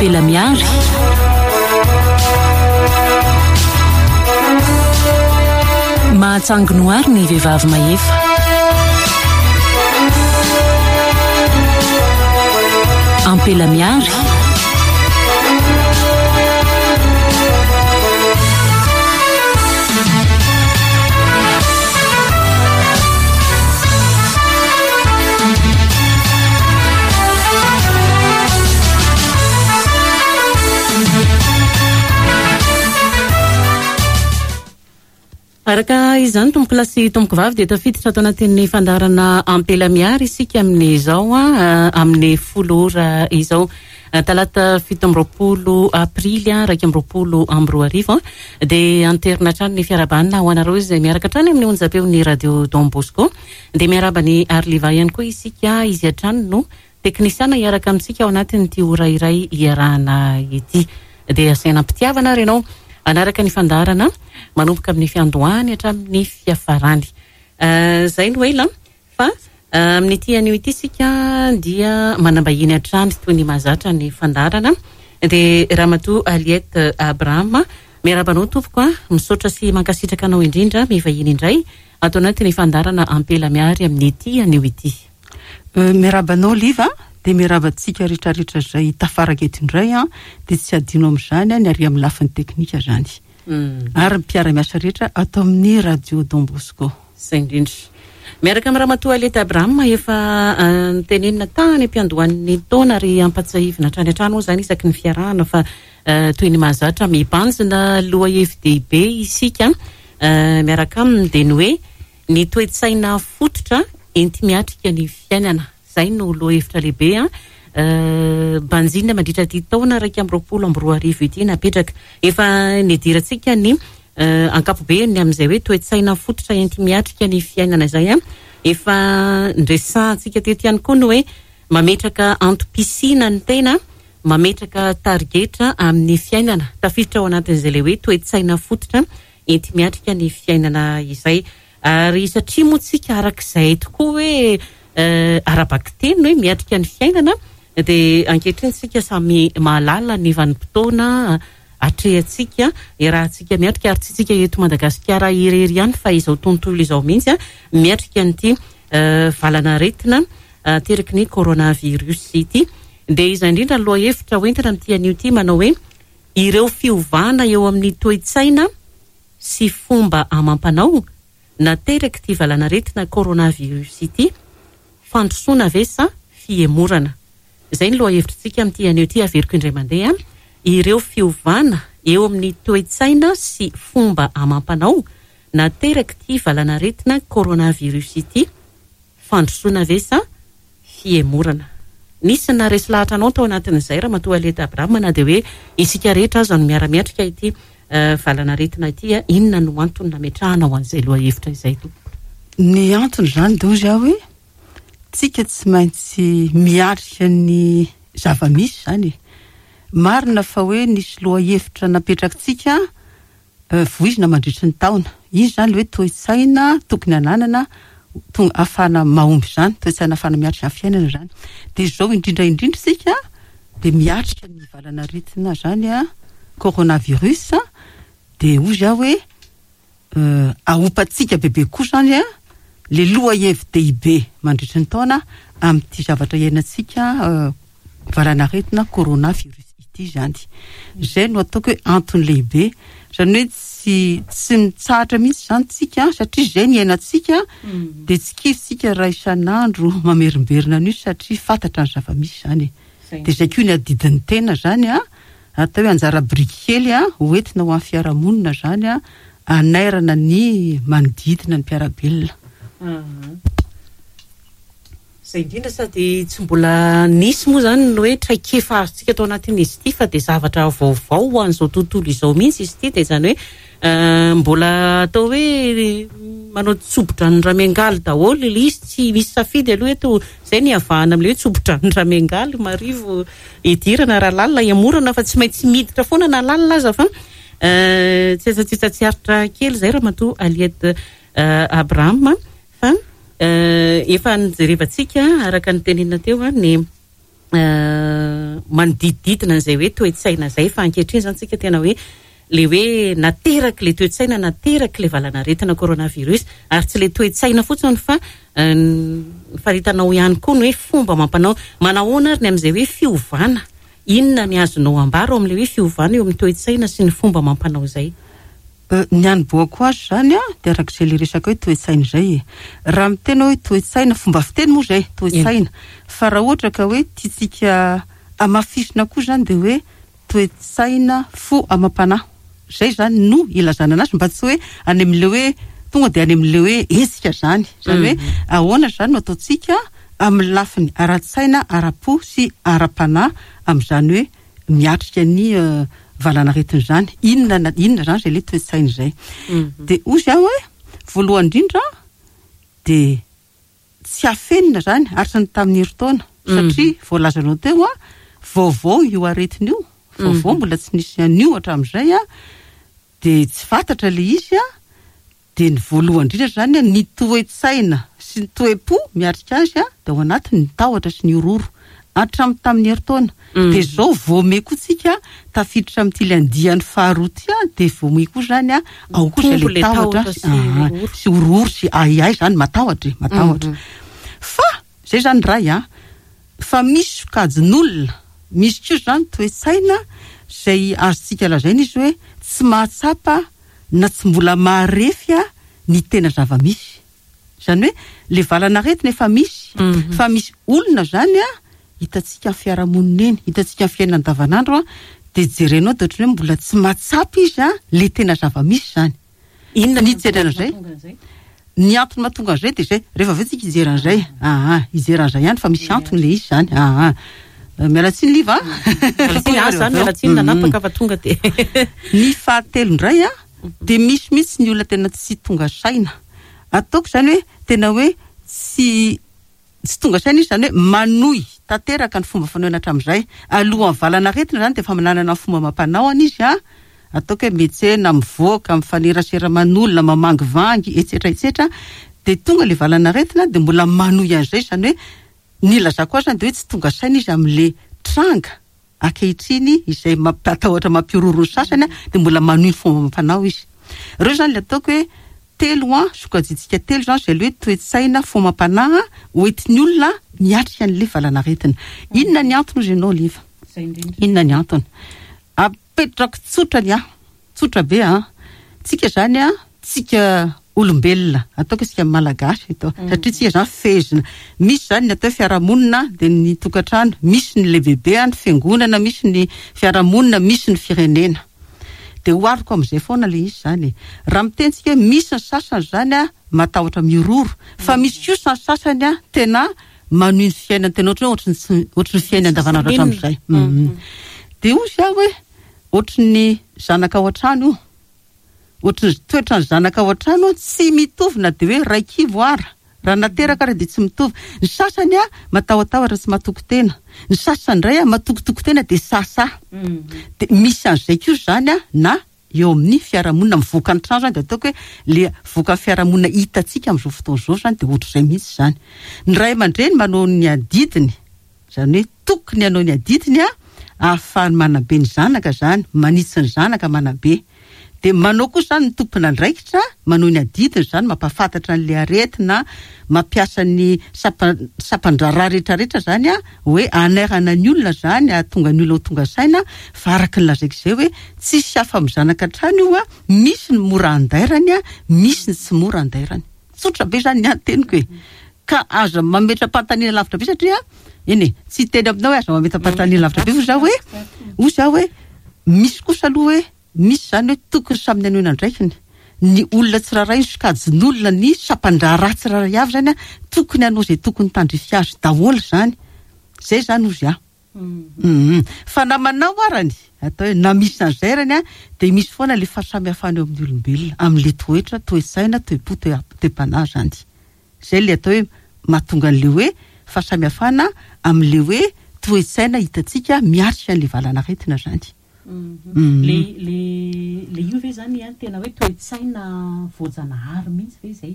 Ampela Miary. Mahatsangonohary ny vehivavy mahefa. Ampela Miary. Araka izany tompokolahy sy tompokovavy dia tafiditra ato anatin'ny fandaharana Ampela Miary isika amin'izao amin'ny folo ora izao. Talata 27 aprily 2021 dia anterina hatrany ny fiarahabana ho anareo izay miaraka hatrany amin'ny onjam-peon'ny Radio Don Bosco. Dia miarahaba an'i Arliva ihany koa isika, izy hatrany no teknisiana hiaraka amintsika ao anatin'ity ora iray iarahana ity. Dia asaina am-pitiavana ary ianao hanaraka ny fandaharana manomboka amin'ny fiandohany hatramin'ny fiafarany. Izay no ela fa amin'ity anio ity isika dia manam-bahiny hatrany toy ny mahazatra ny fandaharana dia Ramatoa Aliette Abraham. Miarahaba anao tompoko a! Misaotra sy mankasitraka anao indrindra mivahiny indray ato anatin'ny fandaharana Ampela Miary amin'ity anio ity. Miarahaba anao Liva dia miarahaba antsika rehetrarehetra izay tafaraka eto indray an, dia tsy adino amin'izany ny ary amin'ny lafiny teknika izany ary ny mpiara-miasa rehetra ato amin'ny Radio Don Bosco. Izay indrindra. Miaraka amin'i Ramatoa Aleta Abraham efa notenenina tany am-piandohan'ny taona ary ampatsiahivina hatrany hatrany moa izany isaky ny fiarahana fa toy ny mahazatra mibanjina lohahevi-dehibe isika miaraka aminy dia ny hoe ny toe-tsaina fototra enti-miatrika ny fiainana. Izay no lohahevitra lehibe banjinina mandritra ity taona 2021 ity napetraka. Efa nidirantsika ny ankapobeny amin'izay hoe toe-tsaina fototra enti-miatrika ny fiainana izay. Efa niresahantsika teto ihany koa ny hoe mametraka antom-pisiana ny tena, mametraka tarigetra amin'ny fiainana. Tafiditra ao anatin'izay ilay hoe toe-tsaina fototra enti-miatrika ny fiainana izay. Ary satria moa tsika arak'izay tokoa hoe ara-bakiteny hoe miatrika ny fiainana dia ankehitriny tsika samy mahalala ny vanim-potoana atrehantsika, iarahantsika miatrika ary tsy tsika eto Madagasikara irery ihany fa izao tontolo izao mihitsy miatrika an'ity valan'aretina ateraky ny coronavirus ity. Dia izay indrindra ny lohahevitra hoentina amin'ity anio ity manao hoe ireo fiovana eo amin'ny toe-tsaina sy fomba amam-panao naterak'ity valanaretina coronavirus ity, fandrosoana ve sa fihemorana? Izay ny lohahevitritsika amin'ity anio ity, averiko indray mandeha, ireo fiovana eo amin'ny toe-tsaina sy fomba amam-panao naterak'ity valanaretina coronavirus ity, Fandrosoana ve sa fihemorana? Nisy naharesy lahatra anao tao anatin'izay Ramatoa Aleta Abraham na dia hoe isika rehetra aza no miara-miatrika ity valan'aretina ity. Inona no antony nametrahanao an'izay lohahevitra izay tompoko? Ny antony izany dia hozy aho hoe tsika tsy maintsy miatrika ny zava-misy izany e. Marina fa hoe nisy lohahevitra napetrakitsika voizina mandritry ny taona. Izy izany ilay hoe toe-tsaina tokony hananana tonga ahafahana mahomby izany, toe-tsaina ahafahana miatrika ny fiainana izany. Dia izao indrindra indrindra isika dia miatrika ny valanaretina izany an, coronavirus, dia hoy izaho hoe ahopantsika bebe kokoa izany an, ilay lohahevi-dehibe mandritry ny taona amin'ity zavatra iainantsika valanaretina corona virus ity izany. Izay no ataoko hoe antony lehibe. Izany hoe tsy tsy mitsahatra mihitsy izany tsika satria izay ny iainantsika dia tsy kivy tsika raha isan'andro mamerimberina an'io satria fantatra ny zava-misy izany e. Dia izay koa ny adidin'ny tena izany an, atao hoe anjara biriky kely an, ho entina ho an'ny fiarahamonina izany an, hanairana ny manodidina ny mpiara-belona. Izay indrindra sady tsy mbola nisy moa izany ny hoe traikefa azontsika tao anatin'izy ity fa dia zavatra vaovao ho an'izao tontolo izao mihitsy izy ity dia izany hoe mbola atao hoe manao tsobo-dranon-dRamiangaly daholo ilay izy, tsy misy safidy aloha eto, izay ny iavahana amin'ilay hoe tsobo-dranon-dRamiangaly, marivo idirana raha lalina ihamorana fa tsy maintsy miditra foana na lalina aza fa tsy aza tsy aritra kely izay Ramatoa Aliette Abraham Fa efa nijerevantsika araka ny tenenina teo ny Manodidididina an'izay hoe toe-tsaina izay fa ankehitriny izany tsika tena hoe le hoe nateraky le toe-tsaina nateraky le valanaretina coronavirus ary tsy le toe-tsaina fotsiny fa ny faritanao ihany koa ny hoe fomba amam-panao. Manahoana ary ny amin'izay hoe fiovana? Inona ny azonao ambara ao amin'ilay hoe fiovana eo amin'ny toe-tsaina sy ny fomba amam-panao izay? Ny hanombohako azy izany dia araka izay ilay resaka hoe toe-tsaina izay e. Raha miteny aho hoe toe-tsaina, fomba fiteny moa izay, toe-tsaina. Fa raha ohatra ka hoe tiantsika hamafisina koa izany dia hoe toe-tsaina, fo amam-panahy. Izay izany no ilazana anazy mba tsy hoe any amin'ilay hoe tonga dia any amin'ilay hoe hetsika izany. Izany hoe ahoana izany no ataontsika amin'ny lafiny ara-tsaina, ara-po sy ara-panahy amin'izany hoe miatrika ny valanaretina izany. Inona na inona izany izay ilay toe-tsaina izay. Dia hozy aho hoe, voalohany indrindra dia tsy afenina izany hatry ny tamin'ny herintaona satria voalazanao teo an, vaovao io aretina io, vaovao mbola tsy nisy an'io hatramin'izay an, dia tsy fantatra ilay izy an, Dia ny voalohany indrindra izany an, ny toe-tsaina sy ny toe-po miatrika azy an, dia ao anatiny ny tahotra sy ny horohoro. Hatramin'ny tamin'ny herintaona. Dia izao vao may koa tsika tafiditra amin'ity ilay andiany faharoa ity an, dia vao may koa izany an, ao koa izay ilay tahotra sy horohoro sy ahiahy izany, matahotra e, matahotra. Fa izay izany iray an, fa misy sokajin'olona, misy koa izany toe-tsaina izay azontsika lazaina izy hoe tsy mahatsapa na tsy mbola maharefy ny tena zava-misy. Izany hoe le valan'aretina efa misy fa misy olona izany hitantsika amin'ny fiarahamonina eny, hitantsika amin'ny fiainana andavanandro dia jerenao dia ohatran'ny hoe mbola tsy mahatsapa izy le tena zava-misy izany. Inona ny hijery an'izay? Ny antony mahatonga an'izay dia izay, rehefa avy eo tsika hijery an'izay, aa, hijery an'izay ihany fa misy antony ilay izy izany, aa. Miala tsiny Liva a. Miala tsiny, ahy izany miala tsiny nanapaka fa tonga dia. Ny fahatelo indray a, dia misy mihitsy ny olona tena tsy tonga saina. Ataoko izany hoe tena hoe tsy Tsy tonga saina izy izany hoe manohy tanteraka ny fomba fanaony hatramin'izay. Alohan'ny valan'aretina izany dia efa manana ny fomba amam-panaony izy an! Ataoko hoe miantsena, mivoaka, mifanerasera aman'olona, mamangivangy, etsetra etsetra. Dia tonga ilay valan'aretina dia mbola manohy an'izay izany hoe ny ilazako azy izany dia hoe tsy tonga saina izy amin'ilay tranga. Ankehitriny izay mampatahotra mampihorohoro ny sasany dia mbola manohy ny fomba amam-panao izy. Ireo izany ilay ataoko hoe telo an, sokajintsika telo izany izay ilay hoe toe-tsaina, fomba amam-panahy hoentin'ny olona miatrika an'ilay valanaretina. Inona ny antony hozy ianao Oliva? Inona ny antony? Apetrako tsotra ny ahy. Tsotra be an! Tsika zany an, tsika olombelona, ataoko isika malagasy eto, satria tsika zany fehezina. Misy zany ny atao hoe fiarahamonina, dia ny tokantrano, misy ny lehibebe an, ny fiangonana, misy ny fiarahamonina, misy ny firenena. Dia ohariko amin'izay foana ilay izy zany e. Raha miteny tsika hoe misy ny sasany zany an, matahotra mihorohoro, fa misy kosa ny sasany an, tena manohy ny fiainany tena ohatry ny hoe ohatry ny tsy, ohatry ny fiainany andavanandro hatramin'izay. Dia hoy aho hoe. Ohatry ny zanaka ao an-trano io. Ohatry ny toetran'ny zanaka ao an-trano io, tsy mitovy na dia hoe iray kibo ara. Raha nateraka ara dia tsy mitovy. Ny sasany matahotahotra tsy matoky tena. Ny sasany indray matokitoky tena dia sahasaha. Dia misy an'izay koa izany na eo amin'ny fiarahamonina mivoaka ny trano izany dia ataoko hoe le vokan'ny fiarahamonina hitantsika amin'izao fotoana izao izany dia ohatr'izay mihitsy izany. Ny ray aman-dreny manao ny adidiny. Izany hoe tokony hanao ny adidiny ahafahany manabe ny zanaka izany, manitsy ny zanaka manabe. Dia manao koa izany ny tompon'andraikitra, manao ny adidiny izany, mampahafantatra an'ilay aretina, mampiasa ny sampan-draharaha rehetrarehetra izany hoe hanairana ny olona izany, hahatonga ny olona ho tonga saina, fa araka ny lazaiko izay hoe tsisy afa-mizanaka hatrany io, misy ny mora andairany, misy ny tsy mora andairany. Tsotra be izany ny ahy ny teniko e. Ka aza mametra-panontaniana lavitra be satria eny e, tsy hiteny aminao hoe aza mametra-panontaniana lavitra be fa za hoe, hoy za hoe misy kosa aloha hoe misy izany hoe tokony samy ny hanohy andraikiny. Ny olona tsirairay, ny sokajin'olona, ny sampan-draharaha tsirairay avy izany an, tokony hanao izay tokony tandrify azy daholo izany. Izay izany hozy aho. Hum. Fa na manao arany, atao hoe na misy an'izay arany an, dia misy foana ilay fahasamihafana eo amin'ny olombelona, amin'ilay toetra, toe-tsaina, toe-po, toe-panahy izany. Izay ilay atao hoe mahatonga an'ilay hoe fahasamihafana amin'ilay hoe toe-tsaina hitantsika miatrika an'ilay valan'aretina izany. Le le le io ve zany an tena hoe toe-tsaina voajanahary mihitsy ve izay?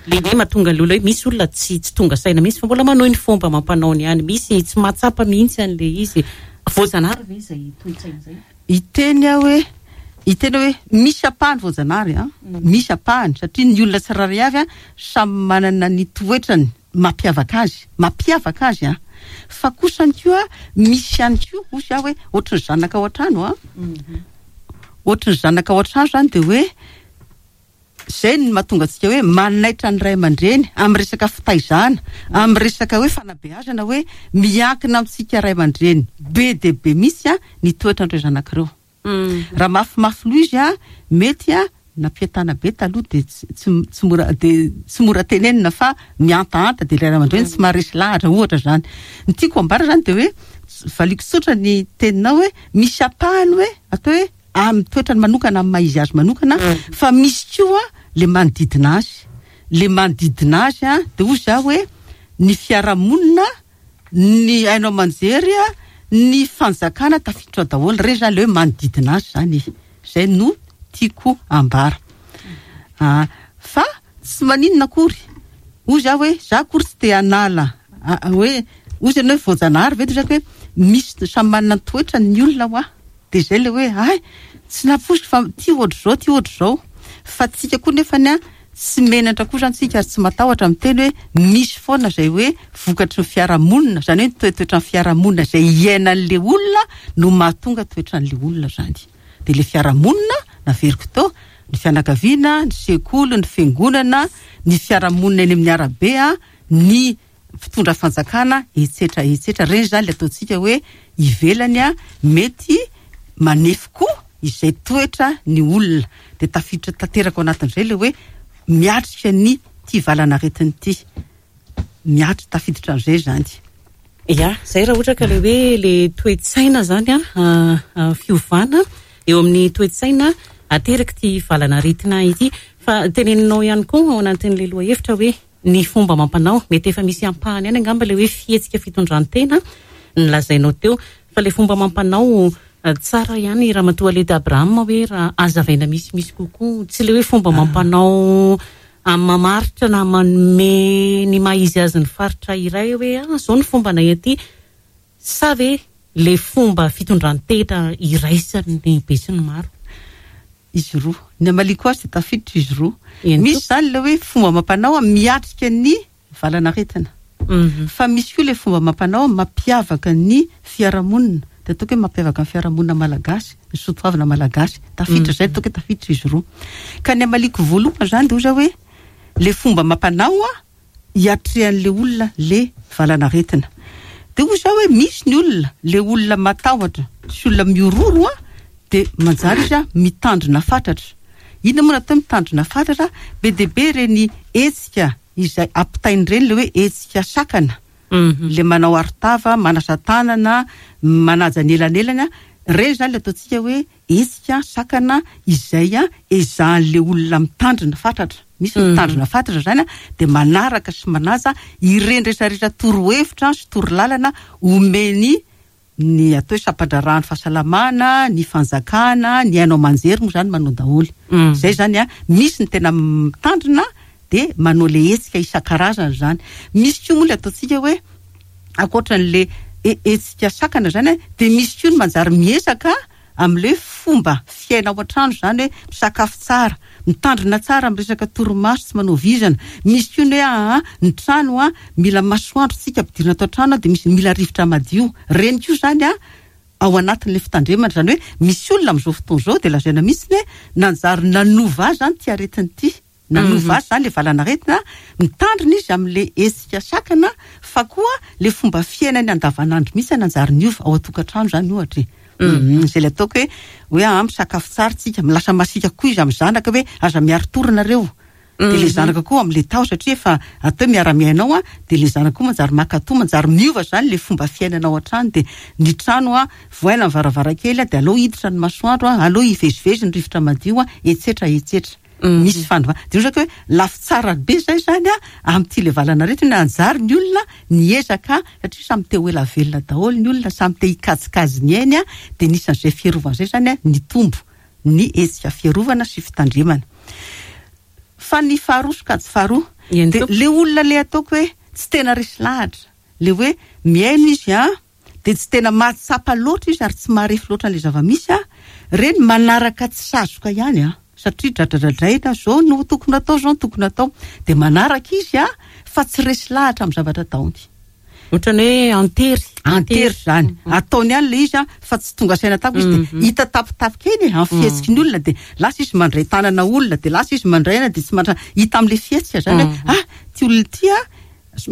Le hoe mahatonga ny olona hoe misy olona tsy tsy tonga saina mihitsy fa mbola manohy ny fomba amam-panaony ihany. Misy tsy mahatsapa mihitsy an'ilay izy. Voajanahary ve izay toe-tsaina izay? Hiteny aho hoe, hiteny aho hoe misy ampahany voajanahary an, misy ampahany satria ny olona tsirairay avy an samy manana ny toetrany mampiavaka azy, mampiavaka azy an. Fa kosany koa misy ihany koa, hoy aho hoe ohatry ny zanaka ao an-trano an, ohatry ny zanaka ao an-trano izany dia hoe Izay no mahatonga antsika hoe manaitra ny ray aman-dreny amin'ny resaka fitaizana, amin'ny resaka hoe fanabeazana hoe miankina amintsika ray aman-dreny be dia be mihitsy ny toetran'ireo zanaka ireo. Raha mafimafy loha izy mety nampientana be taloha dia tsy tsy mora dia tsy mora tenenina fa mihantahanta dia ilay ray aman-dreny tsy maharesy lahatra ohatra izany. Ny tiako ambara izany dia hoe valiako tsotra ny teninao hoe misy ampahany hoe atao hoe amin'ny toetrany manokana, amin'ny maha izy azy manokana, fa misy koa le manodidina azy. Le manodidina azy an, de hoy za hoe ny fiarahamonina, ny haino aman-jery, ny fanjakana tafiditra ao daholo, reny zany le hoe manodidina azy zany e. Zay no tiako ambara. Fa tsy maninona akory, hoy za hoe za akory tsy te hanala hoe, hoy ianao hoe voajanahary ve, de hoy za hoe misy samy manana ny toetrany ny olona hoa. Dia izay ilay hoe hay, tsy nampoiziko fa ity ohatr'izao, ity ohatr'izao. Fa tsika koa nefany an, tsy menatra koa izany tsika ary tsy matahotra miteny hoe misy foana izay hoe vokatry ny fiarahamonina, izany hoe ny toetoetran'ny fiarahamonina izay iainan'ilay olona no mahatonga toetran'ilay olona izany. Dia ilay fiarahamonina, naveriko teo, ny fianakaviana, ny sekoly, ny fiangonana, ny fiarahamonina eny amin'ny arabe, ny mpitondra fanjakana etsetra etsetra reny zany le ataontsika hoe ivelany a mety manefy koa izay toetra ny olona de tafiditra tanteraka ao anatin'izay le hoe miatrika ny ty valanaretina ity miatry tafiditra an'izay zany. Ya, zay raha ohatra ka le hoe le toe-tsaina zany a fiovana eo amin'ny toe-tsaina aterak'ity valanaretina ity fa teneninao ihany koa ao anatin'ilay lohahevitra hoe Ny fomba amam-panao, mety efa misy ampahany ihany angamba ilay hoe fihetsika fitondran-tena nolazainao teo, fa ilay fomba amam-panao tsara ihany Ramatoa Aleda Abraham hoe raha hazavaina misimisy kokoa, tsy ilay hoe fomba amam-panao mamaritra na manome ny maha izy azy ny faritra iray hoe ah izao ny fombanay aty, sa ve ilay fomba fitondran-tena iraisan'ny besinimaro? Izy roa. Ny hamaliako azy dia tafiditra izy roa. Misy izany ilay hoe fomba amam-panao miatrika ny valanaretina. Fa misy koa ilay fomba amam-panao mampiavaka ny fiarahamonina. Dia ataoko hoe mampiavaka ny fiarahamonina malagasy, ny soatoavina malagasy. Tafiditra izay, ataoko hoe tafiditra izy roa. Ka ny hamaliako voalohany izany dia hoy aho hoe ilay fomba amam-panao hiatrehan'ilay olona le valanaretina. Dia hoy za hoe misy ny olona, le olona matahotra sy olona mihorohoro an, dia manjary izy an mitandrina fatratra. Inona moa no atao hoe mitandrina fatratra? Be dia be ireny hetsika izay ampitaina ireny, le hoe hetsika sakana, le manao arotava, manasa tanana, manaja ny elanelana, ireny izany le ataontsika hoe hetsika sakana izay ezahan'ilay olona mitandrina fatratra. Misy ny mitandrina fatratra izany dia manaraka sy manaja ireny rehetrarehetra torohevitra sy torolalana omeny ny atao hoe sampandraharahan'ny fahasalamana, ny fanjakana, ny haino aman-jery moa izany manao daholo. Izay izany misy ny tena mitandrina dia manao ilay hetsika isan-karazany izany. Misy koa moa ilay ataontsika hoe ankoatran'ilay hetsika sakana izany dia misy koa ny manjary miezaka amin'ilay hoe fomba fiaina ao an-trano izany hoe misakafo tsara, mitandrina tsara amin'ny resaka torimaso, tsy manao vizana. Misy koa ny hoe aa ny trano a mila masoandro tsika ampidirina ato an-trano dia misy mila rivotra madio. Ireny koa izany a ao anatin'ilay fitandremana, izany hoe misy olona amin'izao fotoana izao dia lazaina mihitsy hoe nanjary nanova azy izany ity aretina ity. Nanova azy izany ilay valanaretina, mitandrina izy amin'ilay hetsika sakana fa koa ilay fomba fiainany andavanandro mihitsy nanjary niova, ao an-tokantrano izany ohatra e. Izay ilay ataoko hoe hoe aa misakafo tsara tsika, lasa masiaka koa izy amin'ny zanaka hoe aza miari-tory nareo. Dia ilay zanaka koa amin'ilay taho satria efa atao hoe miara-miaina ao dia ilay zanaka koa manjary mankatò, manjary miova izany ilay fomba fiainana ao an-trano dia ny trano vohaina ny varavarankely dia aleo hiditra ny masoandro, aleo hivezivezy ny rivotra madio, etsetra etsetra. Misy fanovana. Dia ohatra hoe lafy tsara be izay izany an, amin'ity ilay valanaretina hoe anjary ny olona niezaka satria samy te ho ela velona daholo ny olona, samy te hikajikajy ny ainy an, dia nisan'izay fiarovana izay izany an, nitombo ny hetsika fiarovana sy fitandremana. Fa ny faharoa, sokajy faharoa, Eny Dia tompoko. le olona le ataoko hoe tsy tena resy lahatra, le hoe mihaino izy an, dia tsy tena mahatsapa loatra izy ary tsy maharefy loatra an'ilay zava-misy an, ireny manaraka tsy sazoka ihany an, satria dradradradraina, izao no tokony atao, izao no tokony atao, dia manaraka izy an, fa tsy resy lahatra amin'ny zavatra ataony. Ohatran'ny hoe antery. Antery izany. Ataony ihany ilay izy an, fa tsy tonga saina tampoka izy dia hita tapitapika eny e, amin'ny fihetsiky ny olona dia lasa izy mandray tanana olona, dia lasa izy mandray aina dia tsy mandray, hita amin'ilay fihetsika izany hoe ah, ity olona ity an,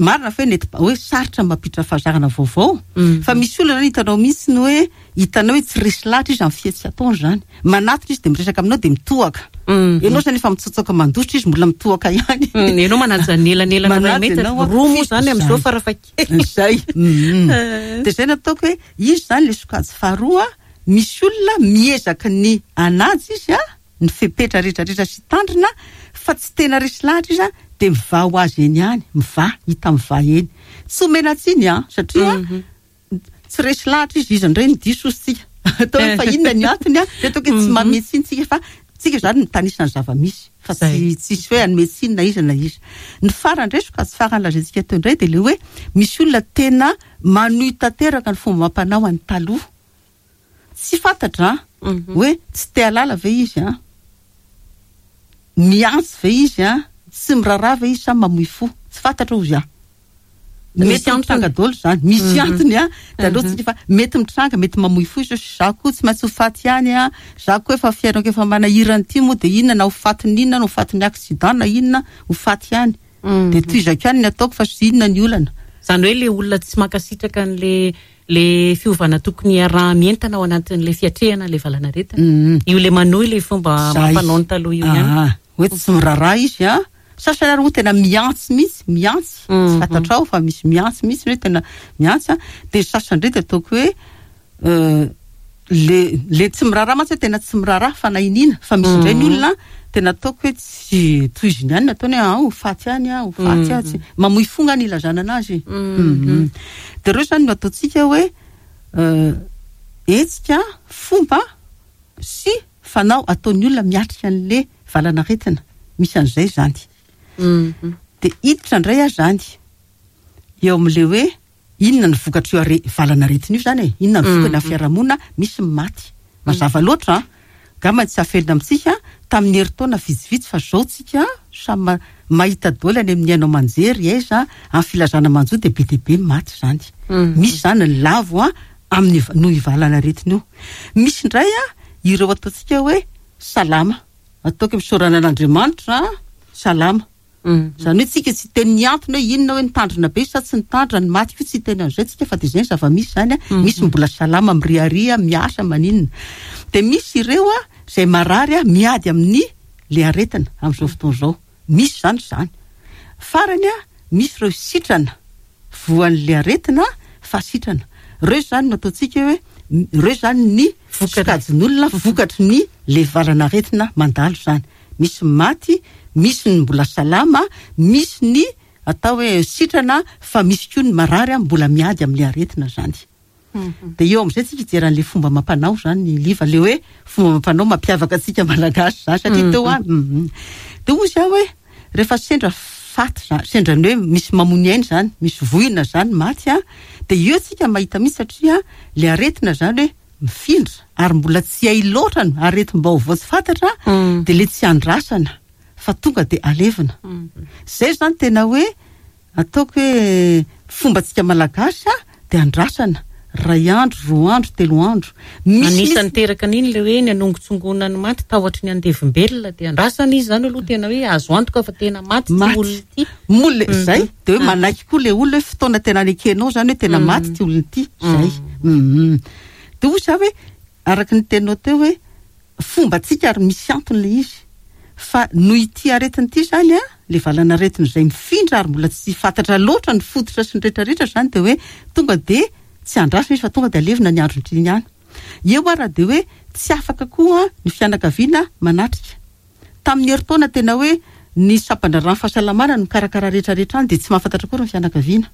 marina fa hoe nety hoe sarotra ny mampiditra fahazarana vaovao, fa misy olona izany hitanao mihitsy ny hoe hitanao hoe tsy resy lahatra izy amin'ny fihetsika ataony izany. Manatona izy dia miresaka aminao dia mitohaka. Ianao izany efa mitsotsoka mandositra izy mbola mitohaka ihany. Ianao manaja ny elanelana iray Manaja metatra. ianao an. Roa moa izany amin'izao farafahakeliny. Izay. Dia izay no ataoko hoe izy izany ilay sokajy faharoa, misy olona miezaka ny hanaja izy an, ny fepetra rehetra rehetra sy tandrina fa tsy tena resy lahatra izy an, dia mivaha ho azy eny ihany, mivaha, hita mivaha eny. Tsy omena tsiny an, satria tsy resy lahatra izy, iza indray no diso hozy tsika. Atao hoe fa inona ny antony an, dia ataoko hoe tsy manome tsiny tsika fa tsika izany mitanisa ny zava-misy fa tsy tsisy hoe hanome tsiny na iza na iza. Ny farany indray sokajy farany lazaintsika teo indray dia ilay hoe misy olona tena manohy tanteraka ny fomba amam-panao any taloha. Tsy fantatra an, hoe tsy te hahalala ve izy an, miantso ve izy an, tsy miraharaha ve izy sa mamoy fo, tsy fantatra hozy aho. Mety mitranga daholo izany, misy antony an, dia aleo tsika fa mety mitranga, mety mamoy fo izy hoe za koa tsy maintsy ho faty ihany an, za koa efa fiainako efa manahirana ity moa dia inona na ho fatin'ny inona na ho fatin'ny accident na inona, ho faty ihany. Dia tohizako ihany ny ataoko fa sy inona ny olana. Izany hoe ilay olona tsy mankasitraka an'ilay Le fiovana tokony hiaraha-mientana ao anatin'ilay fiatrehana ilay valanaretina. Io le manohy ilay fomba amam-panao ny taloha io ihany. Aa, hoe tsy miraharaha izy an. Sasany ary moa tena mihantsy mihitsy, mihantsy. Tsy fantatrao fa misy mihantsy mihitsy hoe tena mihantsy an. Dia ny sasany indray dia ataoko hoe le le tsy miraharaha mantsy hoe tena tsy miraharaha fanahy iniana. Fa misy indray ny olona tena ataoko hoe tsy tohiziny ihany ny ataony hoe ah, ho faty ihany aho, ho faty aho, tsy mamoy fo nga ny ilazana anazy. Dia ireo izany no ataontsika hoe hetsika, fomba sy fanao ataon'ny olona miatrika an'ilay valanaretina. Misy an'izay izany. Dia hiditra indray aho izany eo amin'ilay hoe inona ny vokatr'io are- valanaretina io izany e? Inona ny vokany amin'ny fiarahamonina? Misy ny maty. Mazava loatra an! Angamba tsy afelina amintsika tamin'ny herintaona vitsivitsy fa izao tsika samy ma- mahita daholo any amin'ny haino aman-jery aiza amin'ny filazana manjo dia be dia be ny maty izany. Misy izany ny lavo an amin'ny noho io valanaretina io. Misy indray an ireo ataontsika hoe salama. Ataoko hoe misaorana an'Andriamanitra salama. Izany hoe tsika tsy hiteny ny antony hoe inona hoe nitandrina be sa tsy nitandrina, ny maty koa tsy hiteny an'izay tsika fa dia izay ny zava-misy izany an, misy ny mbola salama miriaria, miasa, maninona. Dia misy ireo an izay marary an miady amin'ny le aretina amin'izao fotoana izao. Misy izany izany. Farany an, misy ireo sitrana voan'le aretina fa sitrana. Ireo izany no ataontsika hoe ireo izany ny sokajin'olona vokatry ny le valan'aretina mandalo izany. Misy ny maty, misy ny mbola salama, misy ny atao hoe sitrana fa misy koa ny marary mbola miady amin'ilay aretina izany. Dia eo amin'izay tsika hijery an'ilay fomba amam-panao izany Liva, ilay hoe fomba amam-panao mampiavaka antsika Malagasy izany satria teo aho dia hoy izaho hoe rehefa sendra faty izany, sendra ny hoe misy mamono aina izany, misy voina izany maty an, dia eo tsika mahita mihitsy satria ilay aretina izany hoe mifindra ary mbola tsy hay loatra ny aretim-baovao tsy fantatra dia ilay tsy andrasana fa tonga dia alevina. Izay izany tena hoe ataoko hoe fombantsika Malagasy dia andrasana iray andro, roa andro, telo andro. Misy Anisan'ny niteraka an'iny ilay hoe ny hanongotsongoana ny maty tahotry ny andevombelona dia andrasana izy izany aloha tena hoe azo antoka fa tena maty ity olona ity. Moa le izay dia hoe manaiky koa ilay olona hoe fotoana tena nekenao izany hoe tena maty ity olona ity. Izay. Dia hoy izaho hoe araka ny teninao teo hoe fombantsika ary misy antony ilay izy. Fa noho ity aretina ity izany an, ilay valanaretina izay mifindra ary mbola tsy fantatra loatra ny fototra sy ny rehetra rehetra izany dia hoe tonga dia tsy andrasana izy fa tonga dia alevina ny andron'iny ihany. Eo ara dia hoe tsy afaka koa ny fianakaviana manatrika. Tamin'ny herintaona tena hoe ny sampandraharahan'ny fahasalamana no mikarakara rehetra rehetra any dia tsy mahafantatra akory ny fianakaviana.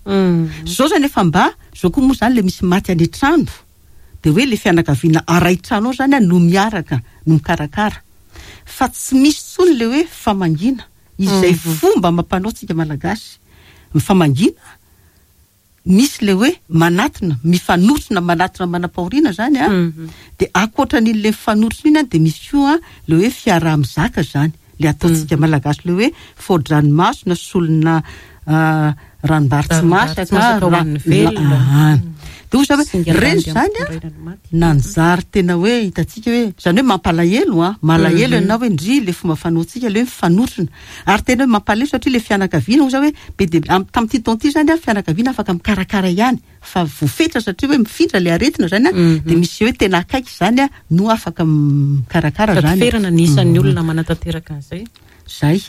Izao izany efa mba, izao koa moa izany ilay misy maty any an-trano dia hoe ilay fianakaviana aray trano ao izany no miaraka no mikarakara. Fa tsy misy intsony ilay hoe famangiana. Izay fomba amam-panao tsika Malagasy, mifamangiana, misy le hoe manatona, mifanotrona, manatona manam-pahoriana zany an, de ankoatran'iny le mifanotrona iny an, de misy koa le hoe fiaraha-mizaka zany, le ataontsika Malagasy le hoe fao-dranomaso na solona ranombary tsy masaka, ho an'ny velona. De hoy za hoe reny zany an, nanjary tena hoe hitantsika hoe, zany hoe mampalahelo an, malahelo ianao hoe ndry le fomba fanaontsika le hoe mifanotrona, ary tena hoe mampalahelo satria le fianakaviana hoy za hoe be dia be, tamin'ity taona ity zany an, fianakaviana afaka mikarakara ihany fa voafetra satria hoe mifindra le aretina zany an, de misy hoe tena akaiky zany an no afaka mikarakara Sady zany. ferana ny isan'ny olona manatanteraka an'izay. Zay.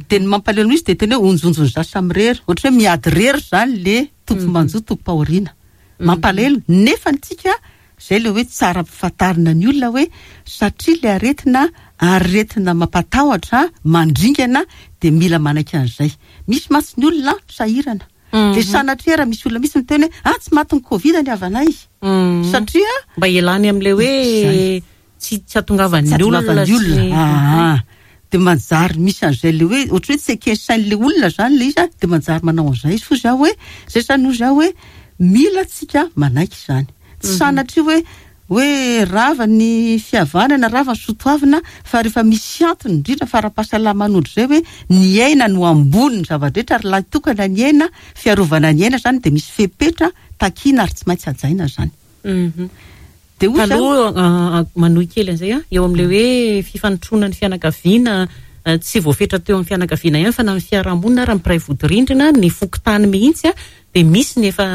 De ny mampalahelo izy de tena hoe onjonjon'ny za samirery, ohatra hoe miady rery zany le tompo-manjo tompom-pahoriana. Mampalahelo, nefa antsika zay le hoe tsara ampifantarina ny olona hoe satria le aretina, aretina mampatahotra, mandringana, de mila manaiky an'izay. Misy mantsy ny olona sahirana. De sanatria raha misy olona mihitsy miteny hoe ah tsy matin'ny Covid ny havanay. Satria mba hialany amin'ilay hoe Zay. tsy hatongavan'ny Tsy olona hatongavan'ny sy olona. Ah, de manjary misy an'izay le hoe ohatry hoe tsy eken'ny sain'ilay olona zany le izy a, de manjary manao an'izay izy. Fo za hoe zay zany hoy za hoe mila tsika manaiky izany. Tsy sanatria hoe rava ny fihavanana, rava ny soatoavina, fa rehefa misy antony indrindra fa ara-pahasalamana ohatr'izay hoe ny aina no ambony ny zava-drehetra ary lahy tokana ny aina, fiarovana ny aina zany de misy fepetra takiana ary tsy maintsy hajaina zany. De hoy za Taloha, manohy kely an'izay aho, eo amin'ilay hoe fifanotrona ny fianakaviana, tsy voafetra teo amin'ny fianakaviana ihany fa na ny fiarahamonina ary ny mpiray vodirindrina, ny fokontany mihitsy, dia misy ny efa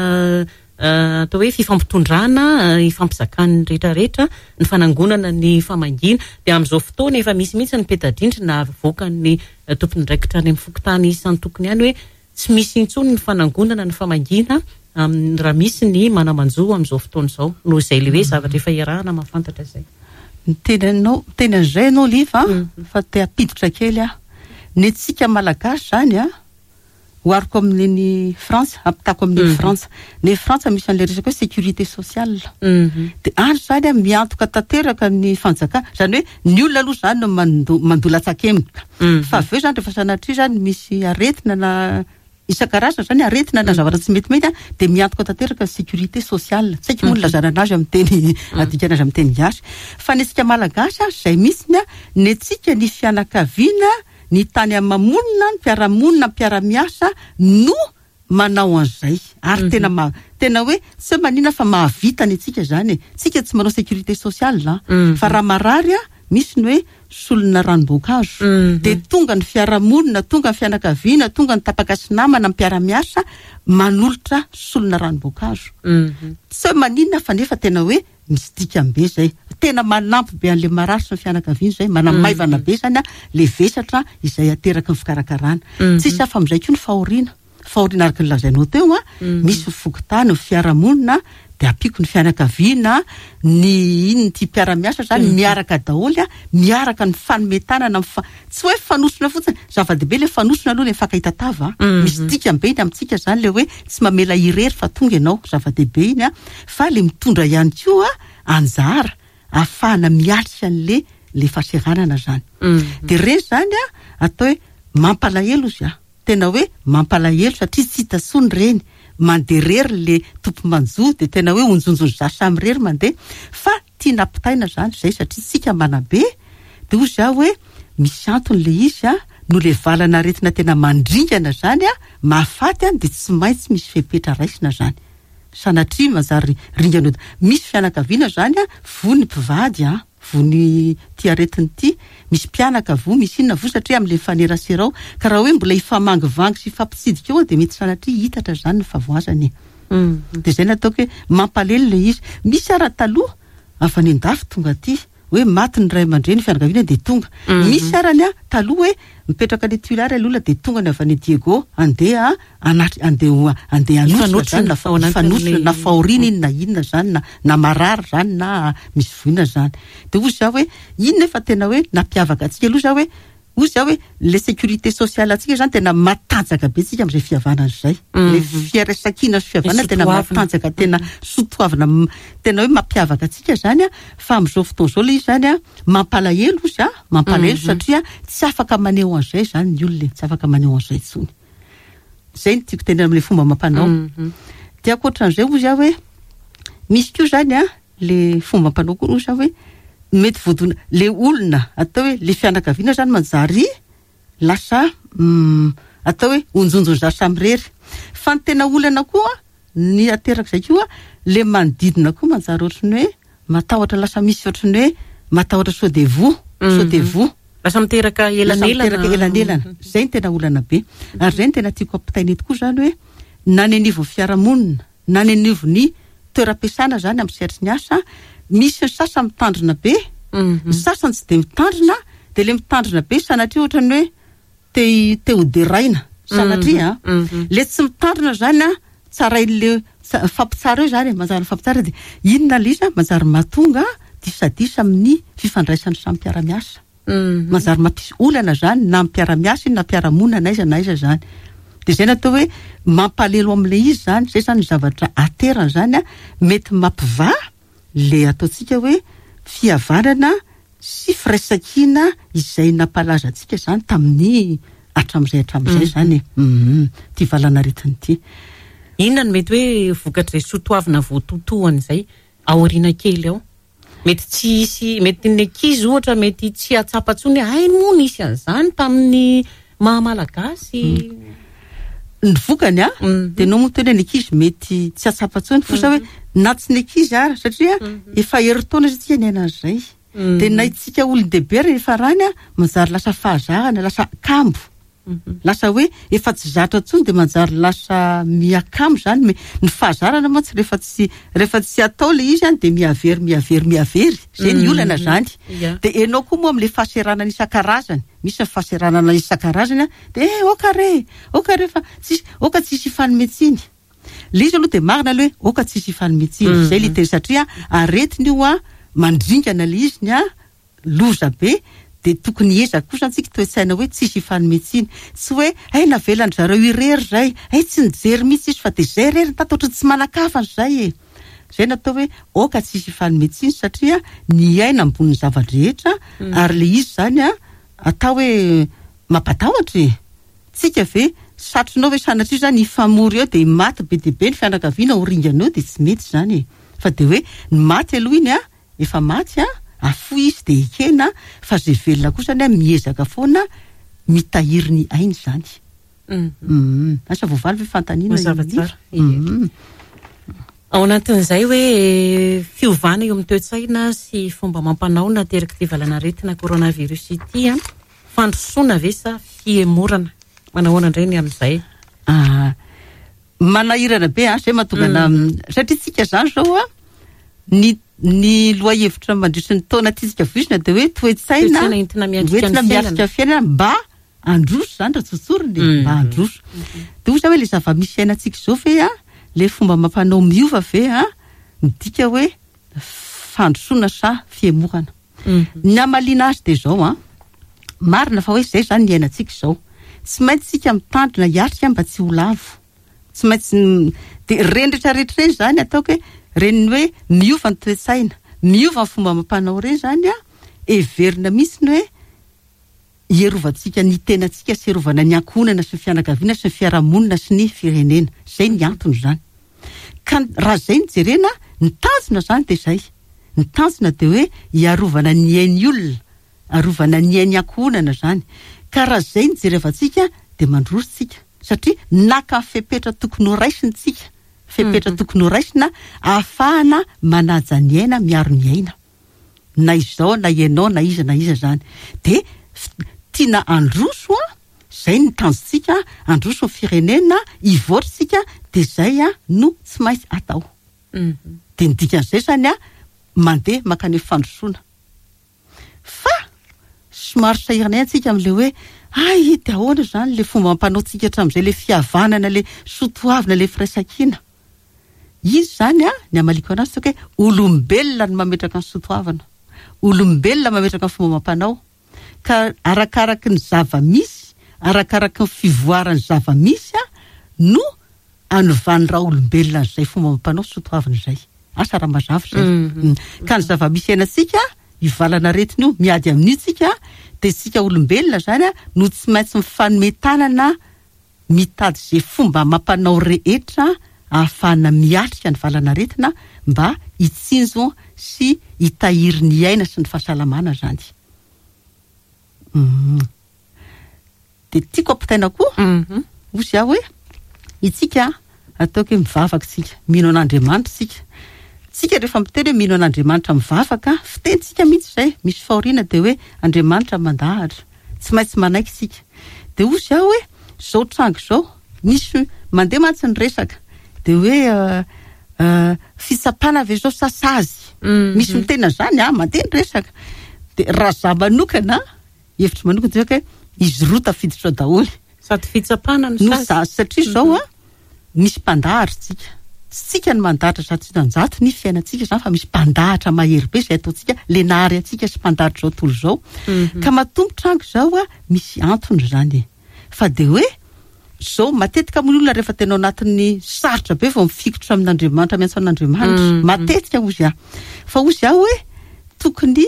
atao hoe fifampitondrana, ifampizakan'ny rehetrarehetra, ny fanangonana ny famangiana. Dia amin'izao fotoana efa misy mihitsy ny peta-drindrina avoakan'ny tompon'andraikitra any amin'ny fokontany isan-tokony any hoe tsy misy intsony ny fanangonana ny famangiana amin'ny raha misy ny mana-manjo amin'izao fotoana izao. Noho izay ilay hoe zavatra efa iarahana mahafantatra izay. Miteny anao, miteny an'izay ianao Liva fa te hampiditra kely aho. Ny antsika Malagasy izany an, ohariko amin'iny Frantsa, ampitako amin'iny Frantsa. Ny Frantsa misy an'ilay resaka hoe sécurité sociale. Dia any izany an, miantoka tanteraka ny fanjakana. Izany hoe ny olona aloha izany no mandoa latsakemboka. Fa avy eo izany rehefa sanatria izany misy aretina na isan-karazany izany, aretina na zavatra tsy metimety an, dia miantoka tanteraka ny sécurité sociale. Tsy haiko moa ny ilazana anazy amin'ny teny, adikana azy amin'ny teny gasy. Fa ny antsika Malagasy an, izay mihitsy an, ny antsika ny fianakaviana, ny tany ama-monina, ny mpiara-monina, ny mpiara-miasa no manao an'izay. Ary tena ma-, tena hoe tsy hoe maninona fa mahavita ny antsika izany e. Tsika tsy manao sécurité sociale an. Fa raha marary an, misy ny hoe solona ranom-boankazo. Dia tonga ny fiarahamonina, tonga ny fianakaviana, tonga ny tapaka sy namana, ny mpiara-miasa manolotra solona ranom-boankazo. Tsy hoe maninona fa nefa tena hoe misy dikany be izay. Tena manampy be an'ilay marary sy ny fianakaviany izay, manamaivana be izany an, ilay vesatra izay ateraky ny fikarakarana. Tsisy hafa amin'izay koa ny fahoriana. Fahoriana araka ny lazainao teo an, misy ny fokontany, ny fiarahamonina, dia ampiako ny fianakaviana, ny inona ity mpiara-miasa izany, miaraka daholo an, miaraka ny mifanome tanana, tsy hoe mifanosona fotsiny, zava-dehibe ilay mifanosona aloha ilay mifankahita tava an. Misy dikany be iny amintsika izany ilay hoe tsy mamela irery fa tonga ianao, zava-dehibe iny an, fa ilay mitondra ihany koa anjara ahafahana miatrika an'ilay ilay fahaseranana izany. Dia ireny izany an, atao hoe mampalahelo izy an. Tena hoe mampalahelo satria tsy hita intsony ireny, mandeha irery le tompo-manjo dia tena hoe onjonjon'ny za samy irery mandeha fa tiana ampitaina izany izay satria tsika manabe dia hoy za hoe misy antony le izy a, noho le valan'aretina tena mandringana izany a, mahafaty a, dia tsy maintsy misy fepetra raisina izany. Sanatria manjary ringana eo. Misy fianakaviana izany a, voa ny mpivady a. Voa ny ity aretina ity, misy mpianaka voa, misy inona voa satria amin'ilay mifanerasera ao. Ka raha hoe mbola hifamangivangy sy hifampitsidika eo dia mety sanatria hitatra izany ny fahavoazana e. Dia izay no ataoko hoe mampalelo ilay izy. Misy ara taloha avy any an-dafy tonga aty, hoe maty ny ray aman-dreny, fianakaviana dia tonga. Misy ara ny taloha hoe mipetraka any Tuléar ilay olona dia tonga ny avy any Diego handeha anatri-, handeha ho, handeha hanotrona izany na fa-, hifanotrona na fahoriana iny na inona izany na, na marary izany na misy voina izany. Dia hoy izaho hoe inona efa tena hoe nampiavaka antsika aloha izaho hoe. Hoy za hoe le sécurité sociale antsika zany tena matanjaka be tsika amin'izay fihavanana izay. Le firaisankina sy fihavanana tena matanjaka, tena sotoavina, tena hoe mampiavaka antsika zany a. Fa amin'izao fotoana izao le izy zany a, mampalahelo ozy a, mampalahelo satria tsy afaka maneho an'izay zany ny olona e, tsy afaka maneho an'izay intsony. Zay no tiako tenenina amin'le fomba amam-panao. Dia ankoatran'izay hozy aho hoe misy koa zany a, le fomba amam-panao koa hozy aho hoe mety voadona le olona atao hoe le fianakaviana zany manjary lasa atao hoe onjonjon'ny samirery. Fa ny tena olana koa ny aterak'izay koa le manodidina koa manjary ohatran'ny hoe matahotra, lasa misy ohatran'ny hoe matahotra sao de voa, sao de voa. Lasa miteraka Lasa elanelana. miteraka elanelana. Zay no tena olana be. Ary zay no tena tiako ampitaina eto koa zany hoe na ny anivon'ny fiarahamonina, na ny anivon'ny toeram-piasana zany amin'ny sehatry ny asa, misy ny sasany mitandrina be, ny sasany tsy de mitandrina, de le mitandrina be sanatria ohatran'ny hoe te te ho deraina sanatria a. Le tsy mitandrina zany a, tsarain'le mifampitsara eo zany e, manjary mifampitsara de inona le izy a, manjary mahatonga disadisa amin'ny fifandraisan'ny samy mpiara-miasa. Manjary mampisy olana zany na mpiara-miasa iny na mpiara-monina na aiza na aiza zany. De zay natao hoe mampalelo amin'le izy zany, zay zany ny zavatra aterany zany a, mety mampivaha le ataontsika hoe fihavanana sy firaisankina izay nampalaza antsika zany tamin'ny hatramin'izay hatramin'izay zany e. Ty valanaretina ity. Inona no mety hoe vokatr'izay soatoavina voatotoan'izay aoriana kely ao? Mety tsy hisy, mety ny ankizy ohatra mety tsy hahatsapa intsony hoe hay moa nisy an'izany tamin'ny maha malagasy. Ny vokany a, dia nao moa tena ny ankizy mety tsy hahatsapa intsony, fa hoe na tsy ny ankizy ara, satria efa herintaona izy tsika niaina an'izay. Dia na itsika olon-dehibe rehefa rany a, manjary lasa fahazarana, lasa kambo. Lasa hoe efa tsy zatra intsony dia manjary lasa miakamo zany. Ny fahazarana mantsy rehefa tsy, rehefa tsy atao le izy any dia mihavery, mihavery, mihavery. Zay ny olana zany. Dia ianao koa moa amin'le fahaseranana isan-karazany, misy ny fahaseranana isan-karazany a, dia eh, oka re, oka re fa tsisy, oka tsisy hifanome tsiny. Le izy aloha dia marina aloha hoe oka tsisy hifanome tsiny. Zay le teny satria aretina io a, mandringana le izy ny a, loza be, dia tokony hiezaka kosa antsika toe-tsaina hoe tsisy hifanome tsiny. Tsy hoe hay navelan-dry zareo irery izay, hay tsy nijery mihitsy izy fa dia izay irery ny tato ohatran'ny tsy manan-kafana izay e. Izay no atao hoe aoka tsisy hifanome tsiny satria ny aina ambonin'ny zava-drehetra ary ilay izy izany a, atao hoe mampatahotra e. Tsika ve, satrinao ve sanatria izany hifamory eo dia maty be dia be ny fianakaviana ho ringana eo dia tsy mety izany e. Fa dia hoe ny maty aloha iny a, efa maty a, afoy izy dia ekena fa izay velona kosa anie miezaka foana mitahiry ny ainy izany. Asa voavaly ve fanontaniana Mazava tsara. Ao anatin'izay hoe fiovana eo amin'ny toe-tsaina sy fomba amam-panao naterak'ity valanaretina coronavirus ity a, fandrosoana ve sa fihemorana? Manahoana indray ny amin'izay? Manahirana be a, zay mahatonga ana, satria tsika zany zao a, ny, ny lohahevitra mandritry ny taona tiantsika voizina dia hoe toe-tsaina Toe-tsaina entina miatrika ny entina miatrika fiainana. fiainana mba handroso zany raha tsotsorina e, mba handroso. Dia hoy za hoe le zava-misy iainantsika izao ve a, le fomba amam-panao miova ve a, midika hoe fandrosoana sa fihemorana? Ny hamaliana azy dia izao a, marina fa hoe izay zany ny iainantsika izao. Tsy maintsy tsika mitandrina hiatrika mba tsy ho lavo. Tsy maintsy dia ireny rehetrarehetra ireny zany ataoko hoe ireny hoe miova ny toe-tsaina, miova ny fomba amam-panao ireny zany a, heverina mihitsy ny hoe hierovantsika ny tenantsika sy hierovana ny ankohonana sy ny fianakaviana sy ny fiarahamonina sy ny firenena. Izay ny antony izany. Ka raha izay no jerena, ny tanjona izany dia izay. Ny tanjona dia hoe hiarovana ny ain'ny olona, arovana ny ain'ny ankohonana izany. Ka raha izay no jerevantsika dia mandroso tsika. Satria naka ny fepetra tokony ho raisina tsika. Fepetra tokony ho raisina ahafahana manaja ny aina, miaro ny aina. Na izao na ianao na iza na iza izany. Dia tiana handroso an, izay ny tanjontsika, handroso ny firenena, hivoatra isika, dia izay no tsy maintsy atao. Dia ny dikan'izay izany an, mandeha mankany amin'ny fandrosoana. Fa somary sahirana ihany tsika amin'ilay hoe hay dia ahoana izany ilay fomba ampanaontsika hatramin'izay, ilay fihavanana, ilay soatoavina, ilay firaisankina. Izy izany an, ny hamaliako anazy toa hoe olombelona no mametraka ny soatoavina, olombelona mametraka ny fomba amam-panao. Araka arakaraky ny zava-misy, arakaraky ny fivoaran'ny zava-misy no anovan'ny raolombelona an'izay fomba amam-panao sy soatoavina izay. Asa raha mazava izay. Ka ny zava-misy iainantsika, io valan'aretina io, miady amin'io tsika, dia isika olombelona izany no tsy maintsy mifanome tanana mitady izay fomba amam-panao rehetra ahafahana miatrika ny valan'aretina mba hitsinjo sy hitahiry ny aina sy ny fahasalamana izany. Dia tiako ampitaina koa, hozy aho hoe, itsika ataoko hoe mivavaka isika, mino an'Andriamanitra isika. Tsika rehefa miteny hoe mino an'Andriamanitra mivavaka, fitenintsika mihitsy izay, misy fahoriana dia hoe Andriamanitra mandahatra, tsy maintsy manaiky isika. Dia hozy aho hoe, izao tranga izao, misy mandeha mantsy ny resaka, dia hoe fitsapana ve izao sa sazy? Misy miteny an'izany an, mandeha ny resaka. Dia raha izaho manokana, hevitro manokana dia hoe izy roa tafiditra ao daholo. Sady fitsapana no sazy. No sazy satria izao an, misy mpandahatra isika. Tsy tsika no mandahatra 100% ny fiainantsika izany fa misy mpandahatra mahery be izay ataontsika, le nahary antsika sy mpandahatra izao tontolo izao. Ka matoa mitranga izao an, misy antony izany e. Fa dia hoe izao, matetika moa ny olona rehefa tena ao anatin'ny sarotra be vao mifikitra amin'Andriamanitra, miantso an'Andriamanitra. Matetika hozy aho. Fa hozy aho hoe tokony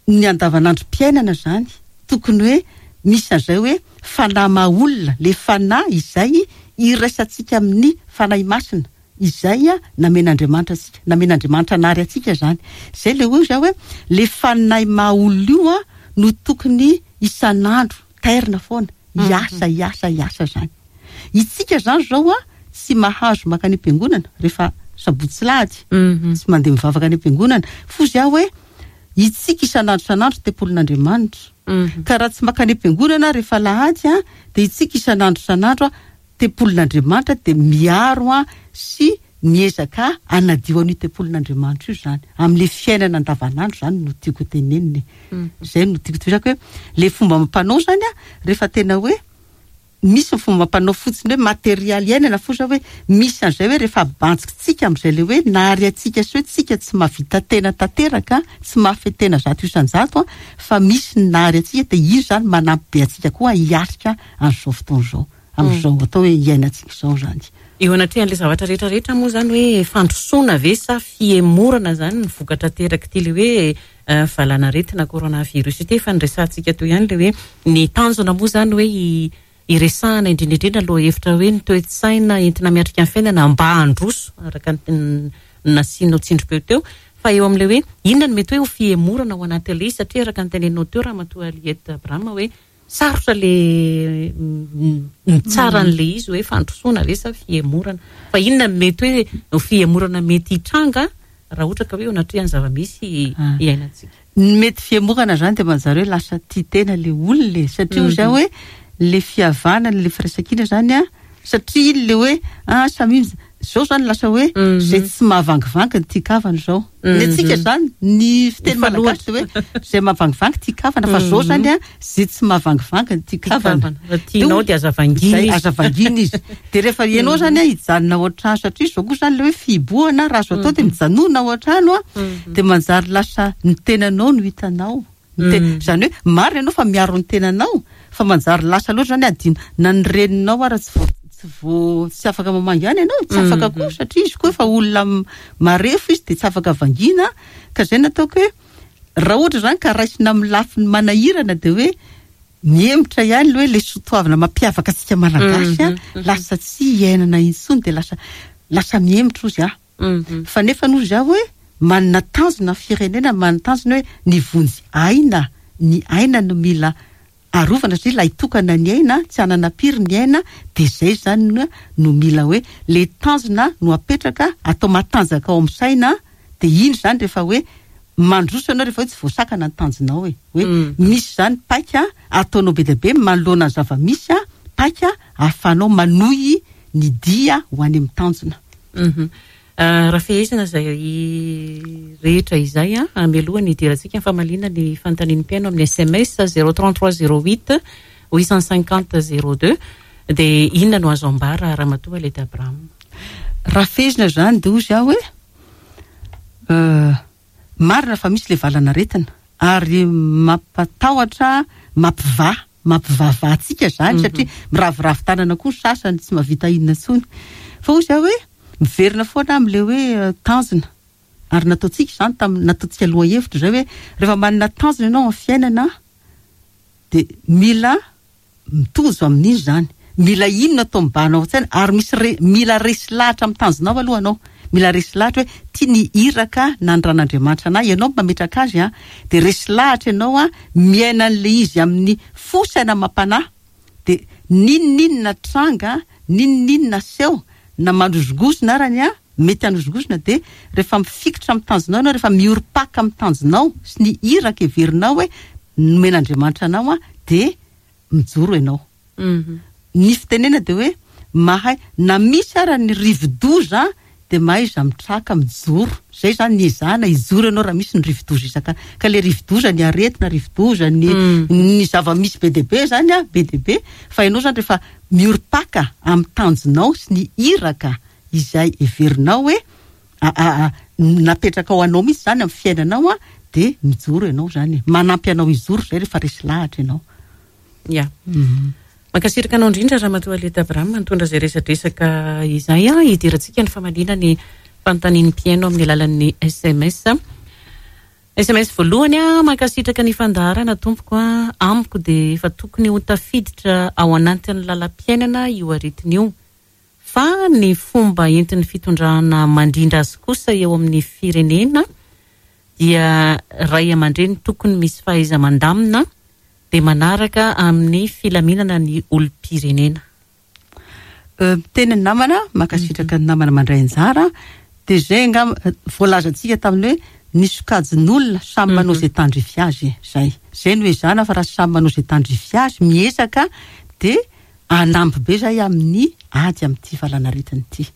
ny andavanandrom-piainana izany, tokony hoe misy an'izay hoe fanahy maha olona, le fanahy izay iraisantsika amin'ny Fanahy Masina, izay namen'Andriamanitra antsika, namen'Andriamanitra nary antsika izany. Izay le hoy zaho hoe le fanahy maha olona io no tokony isan'andro tairina foana, hiasa, hiasa, hiasa izany. Itsika izany izao tsy mahazo mankany am-piangonana rehefa sabotsy sy lahady, tsy mandeha mivavaka any am-piangonana. Fozy aho hoe itsika isan'andro isan'andro tempolin'Andriamanitra. Ka raha tsy mankany am-piangonana rehefa alahady dia itsika isan'andro isan'andro tempolin'Andriamanitra dia miaro sy miezaka hanadio an'io tempolin'Andriamanitra io izany. Amin'ilay fiainana andavanandro izany no tiako tenenina e. Izay no tiako tohizako hoe ilay fomba amam-panao izany rehefa tena hoe Misy ny fomba mpanao fotsiny hoe materialy iainana foza hoe misy an'izay hoe rehefa abanjikitsika amin'izay le hoe nahary antsika sy hoe tsika tsy mahavita tena tanteraka, tsy mahafehy tena 100% fa misy ny nahary antsika dia io izany manampy be antsika koa hiatrika an'izao fotoana izao, amin'izao atao hoe iainantsika izao izany. Eo anatrehan'ilay zavatra rehetra rehetra moa izany hoe fandrosoana ve sa fihemorana izany ny vokatra aterak'ity le hoe valanaretina coronavirus ity. Efa niresahantsika teo ihany ilay hoe ny tanjona moa izany hoe hiresahana indrindra indrindra lohahevitra hoe ny toe-tsaina entina miatrika ny fiainana mba handroso araka ny nasianao tsindrim-peo teo. Fa eo amin'ilay hoe inona no mety hoe ho fihemorana ao anatin'ilay izy satria araka ny teneninao teo Ramatoa Aliette Abraham hoe sarotra le mitsara an'ilay izy hoe fandrosoana ve sa fihemorana. Fa inona no mety hoe ho fihemorana mety hitranga raha ohatra ka hoe eo anatrehan'ny zava-misy iainantsika. Ny mety fihemorana izany dia manjary hoe lasa tia tena ilay olona e, satria hoy izaho hoe ilay fihavanana, ilay firaisankina izany an, satria iny ilay hoe ah samy izao izany lasa hoe izay tsy mahavangivangy ny tian-kavana izao. Ny antsika izany, ny fiteny malagasy dia hoe izay mahavangivangy tian-kavana, fa izao izany an, izay tsy mahavangivangy ny tian-kavana. Raha tianao dia aza vangiana izy. Aza vangiana izy. Dia rehefa ianao izany an, hijanona ao an-trano, satria izao koa izany ilay hoe fihibohana, raha azo atao dia mijanona ao an-trano an, dia manjary lasa ny tenanao no hitanao. Ny te- Izany hoe marina ianao fa miaro ny tenanao, fa manjary lasa loatra izany adino, na ny reninao ara tsy vo- tsy vo- tsy afaka mamangy any ianao, tsy afaka koa satria izy koa efa olona marefo izy dia tsy afaka vangiana, ka izay no ataoko hoe raha ohatra izany ka raisina amin'ny lafiny manahirana dia hoe mihemotra ihany ilay hoe ilay soatoavina mampiavaka antsika Malagasy an, lasa tsy iainana intsony dia lasa lasa mihemotra hozy aho. Fa nefa hozy aho hoe manana tanjona ny firenena, manana tanjona hoe ny vonjy aina, ny aina no mila arovana satria lahitokana ny aina, tsy hanana piry ny aina, dia izay izany no mila hoe ilay tanjona no apetraka, atao matanjaka ao amin'ny saina, dia iny izany rehefa hoe mandroso ianao rehefa hoe tsy voasakana ny tanjonao e, hoe misy izany paika ataonao be dia be manoloana ny zava-misy, paika ahafahanao manohy ny dia ho any amin'ny tanjona. Raha fehezina izay rehetra izay, mialoha ny hidirantsika ny famaliana ny fanontanian'ny mpihaino amin'ny sms 033 08 850 02 dia inona no azo ambara Ramatoa Aleta Abraham? Raha fehezina izany dia hozy aho hoe marina fa misy ilay valan'aretina. Ary mampatahotra, mampivaha, mampivavaha antsika izany satria miraviravy tanana koa ny sasany, tsy mahavita inona intsony. Fa hoy izaho hoe, miverina foana aho amin'ilay hoe tanjona. Ary nataontsika izany tamin'ny, nataontsika lohahevitra izay hoe rehefa manana tanjona ianao amin'ny fiainana dia mila mitozo amin'iny izany. Mila inona atao mibahana ao an-tsaina ary misy re, mila resy lahatra amin'ny tanjonao aloha ianao. Mila resy lahatra hoe ity ny iraka nandran'Andriamanitra anah, ianao no mametraka azy an, dia resy lahatra ianao an, miaina an'ilay izy amin'ny fo, saina amam-panahy. Dia n'inon'inona tranga, n'inon'inona aseho, na manozongozona arany an, mety hanozongozona dia rehefa mifikitra amin'ny tanjonao ianao, rehefa miorim-paka amin'ny tanjonao sy ny iraka heverinao hoe nomen'Andriamanitra anao an, dia mijoro ianao. Ny fitenena dia hoe mahay, na misy ara ny rivo-doza dia mahaiza mitraka, mijoro. Izay izany ny ezahana, hijoro ianao raha misy ny rivo-doza isaka. Ka ilay rivo-doza, ny aretina, rivo-doza, ny ny zava-misy be dia be izany an, be dia be, fa ianao izany rehefa miorim-paka amin'ny tanjonao sy ny iraka izay heverinao hoe napetrakao anao mihitsy izany amin'ny fiainanao an, dia mijoro ianao izany e. Manampy anao hijoro izay rehefa resy lahatra ianao. Ya. Mankasitraka anao indrindra Ramatoa Aleta Abraham nitondra izay resadresaka izay an, hidirantsika ny famaliana ny fanontanian'ny mpihaino amin'ny alalan'ny sms. Sms voalohany a, mankasitraka ny fandaharana tompoko a, amiko dia efa tokony ho tafiditra ao anatin'ny lalam-piainana io aretina io. Fa ny fomba entin'ny fitondrana mandrindra azy kosa eo amin'ny firenena dia ray aman-dreny tokony misy fahaiza-mandamina dia manaraka amin'ny filaminana ny olom-pirenena. Miteny ny namana, mankasitraka ny namana mandray anjara, dia izay angamba voalazantsika tamin'ny hoe ny sokajin'olona samy manao izay tandrify azy e, izay. Izay no ezahana fa raha samy manao izay tandrify azy, miezaka dia Hanampy be zay amin'ny ady amin'ity valanaretina ity.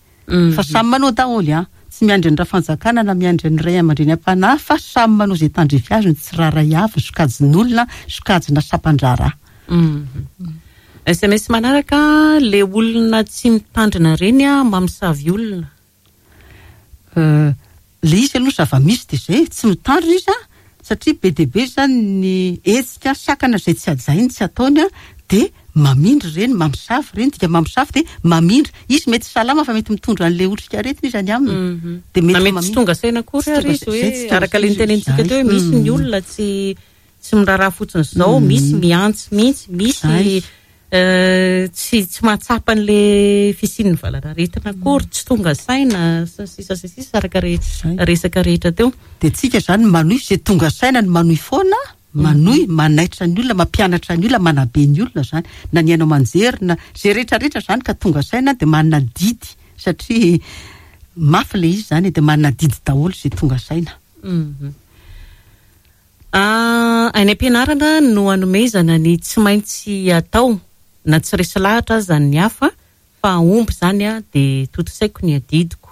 Fa samy manao daholo an! Tsy miandry ny rafanjakana na miandry ny ray aman-dreny am-panahy fa samy manao izay tandrify azy ny tsirairay avy, ny sokajin'olona, sokajina sampan-draharaha. Sms manaraka, le olona tsy mitandrina reny an, mamosavy olona. Le izy aloha zava-misy dia izay, tsy mitandrina izy an, satria be dia be izany ny hetsika sakana izay tsy hajainy, tsy ataony an, dia mamindra ireny, mamosavy ireny, dika mamosavy dia mamindra, izy mety salama fa mety mitondra an'ilay otrikaretina izy any aminy, dia mety Na mety tsy tonga saina akory ary izy hoe, araka ilay notenenintsika teo hoe misy ny olona tsy tsy miraharaha fotsiny izao, misy mihantsy mihitsy, misy Tsy tsy mahatsapa an'le fisian'ny valanaretina akory, tsy tonga saina, sy ny sisa sy ny sisa araka re resaka rehetra teo. Dia tsika izany manohy, izay tonga saina no manohy foana, manohy, manaitra ny olona, mampianatra ny olona, manabe ny olona izany, na ny haino aman-jery na izay rehetra rehetra izany ka tonga saina dia manana adidy satria mafy ilay izy izany e, dia manana adidy daholo izay tonga saina. Any am-pianarana no anomezana ny tsy maintsy atao na tsy resy lahatra aza ny hafa fa hahomby izany dia tontosaiko ny adidiko.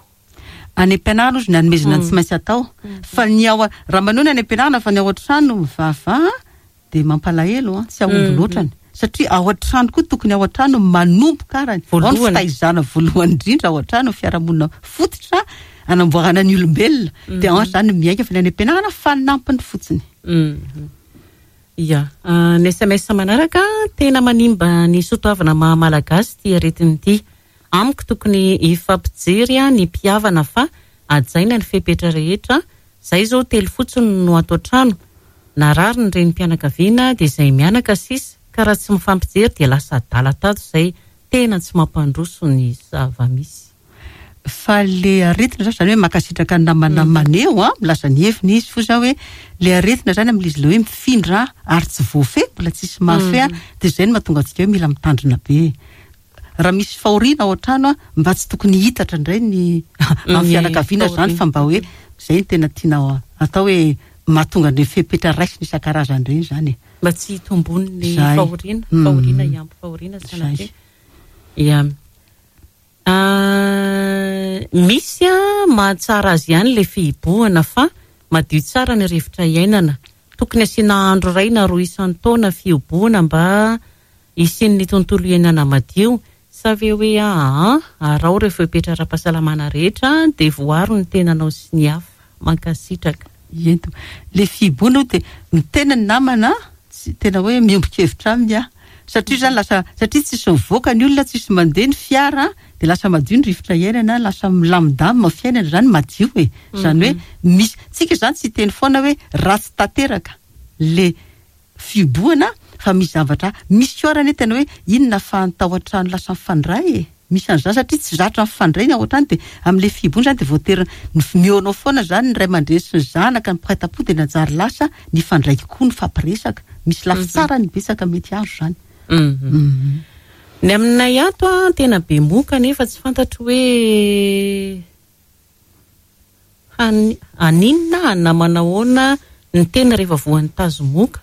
Any am-pianarana ozy ny anomezana ny tsy maintsy atao fa ny ao raha manohy ny any am-pianarana fa ny ao an-trano mivavaha dia mampalahelo an, tsy hahomby loatrany satria ao an-trano koa tokony ao an-trano manomboka arany, ao ny fitaizana voalohany indrindra ao an-trano, ny fiarahamonina fototra Anamboarana ny olombelona dia ao izany miainga fa ny any am-pianarana fanampiny fotsiny. Ya. Ny sms manaraka, tena manimba ny soatoavina maha malagasy ity aretina ity. Amiko tokony hifampijery ny mpihavana fa hajaina ny fepetra rehetra, zay zao telo fotsiny no ato an-trano, narary ny renim-pianakaviana dia izay mianaka sisa, ka raha tsy mifampijery dia lasa adala tato izay, tena tsy mampandroso ny zava-misy. Fa le aretina zany, zany hoe mankasitraka ny namana maneho an, milaza ny heviny izy, foza hoe le aretina zany amin'ilay izy le hoe mifindra ary tsy voafehy, mbola tsisy mahafehy an, dia izay no mahatonga antsika hoe mila mitandrina be. Raha misy fahoriana ao an-trano an, mba tsy tokony hihitatra indray ny amin'ny fianakaviana izany fa mba hoe izay no tena tiana atao hoe mahatonga an'ireny fepetra raisina isan-karazany ireny izany e. Mba tsy hitombon'ny fahoriana, fahoriana hiampy fahoriana sanatria. Ia. Misy mahatsara azy ihany ilay fihibohana fa madio tsara ny rivotra iainana. Tokony asiana andro iray na roa isan-taona fihibohana mba hisian'ny tontolo iainana madio. Sa ve hoe aa araho ireo fepetra ara-pahasalamana rehetra dia voaro ny tenanao sy ny hafa. Mankasitraka. Ento. Le fihibohana aloha dia ny tena ny namana tsy tena hoe miombon-kevitra aminy aho. Satria zany lasa satria tsisy mivoaka ny olona, tsisy mandeha ny fiara dia lasa madio ny rivotra iainana, lasa milamindamina ny fiainana zany, madio e. Zany hoe misy, tsika zany tsy hiteny foana hoe ratsy tanteraka le fihibohana fa misy zavatra, misy koa ary anie tena hoe inona fa ny tao an-trano lasa mifandray e, misy an'izany satria tsy zatra mifandray ny ao an-trano dia amin'ilay fihibohana izany dia voatery mihaonao foana izany ny ray aman-dreny sy ny zanaka, ny mpiray tam-po dia nanjary lasa nifandray kokoa nifampiresaka, misy lafy tsarany betsaka mety azo izany. Ny aminay ato an, tena be moka nefa tsy fantatro hoe. Haninona na manahoana ny tena rehefa voan'ny tazomoka?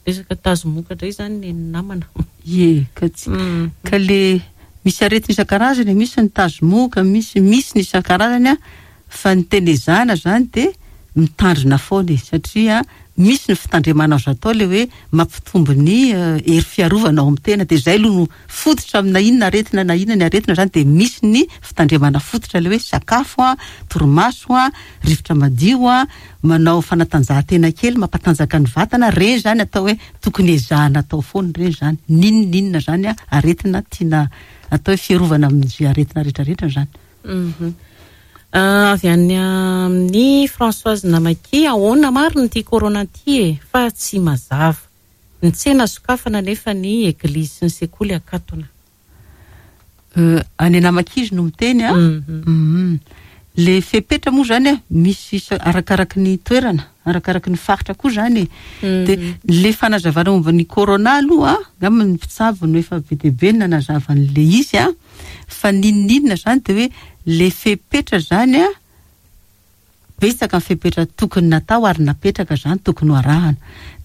Resaka tazomoka indray izany ny an'ny namana. Ie, ka tsy ka le misy aretina isan-karazany e, misy ny tazomoka, misy misy ny isan-karazany an, fa ny tena ezahana izany dia mitandrina foana e, satria misy ny fitandremana azo atao le hoe mampitombo ny hery fiarovana ao amin'ny tena, dia izay aloha no fototra amina inona aretina na inona ny aretina izany dia misy ny fitandremana fototra ilay hoe sakafo an, torimaso an, rivotra madio an, manao fanatanjahantena kely mampatanjaka ny vatana, ireny izany atao hoe tokony ezahana atao foana ireny izany, n'inona n'inona izany an, aretina tiana atao hoe fiarovana amin'izay aretina rehetra rehetra izany. Avy any amin'i Françoise Namaky, ahoana marina ity corona ity e, fa tsy mazava. Ny tsena sokafana nefa ny eglizy sy ny sekoly akatona. Any Anamakizy no miteny a. Le fepetra moa zany a, misy isa arakaraky ny toerana, arakaraky ny faritra koa zany e. De le fanazavana momba ny corona aloha, angamba ny mpitsabo no efa be dia be nanazava an'le izy a, fa n'inon'inona zany de hoe le fepetra zany a, Betsaka ny fepetra tokony natao ary napetraka izany tokony ho arahana.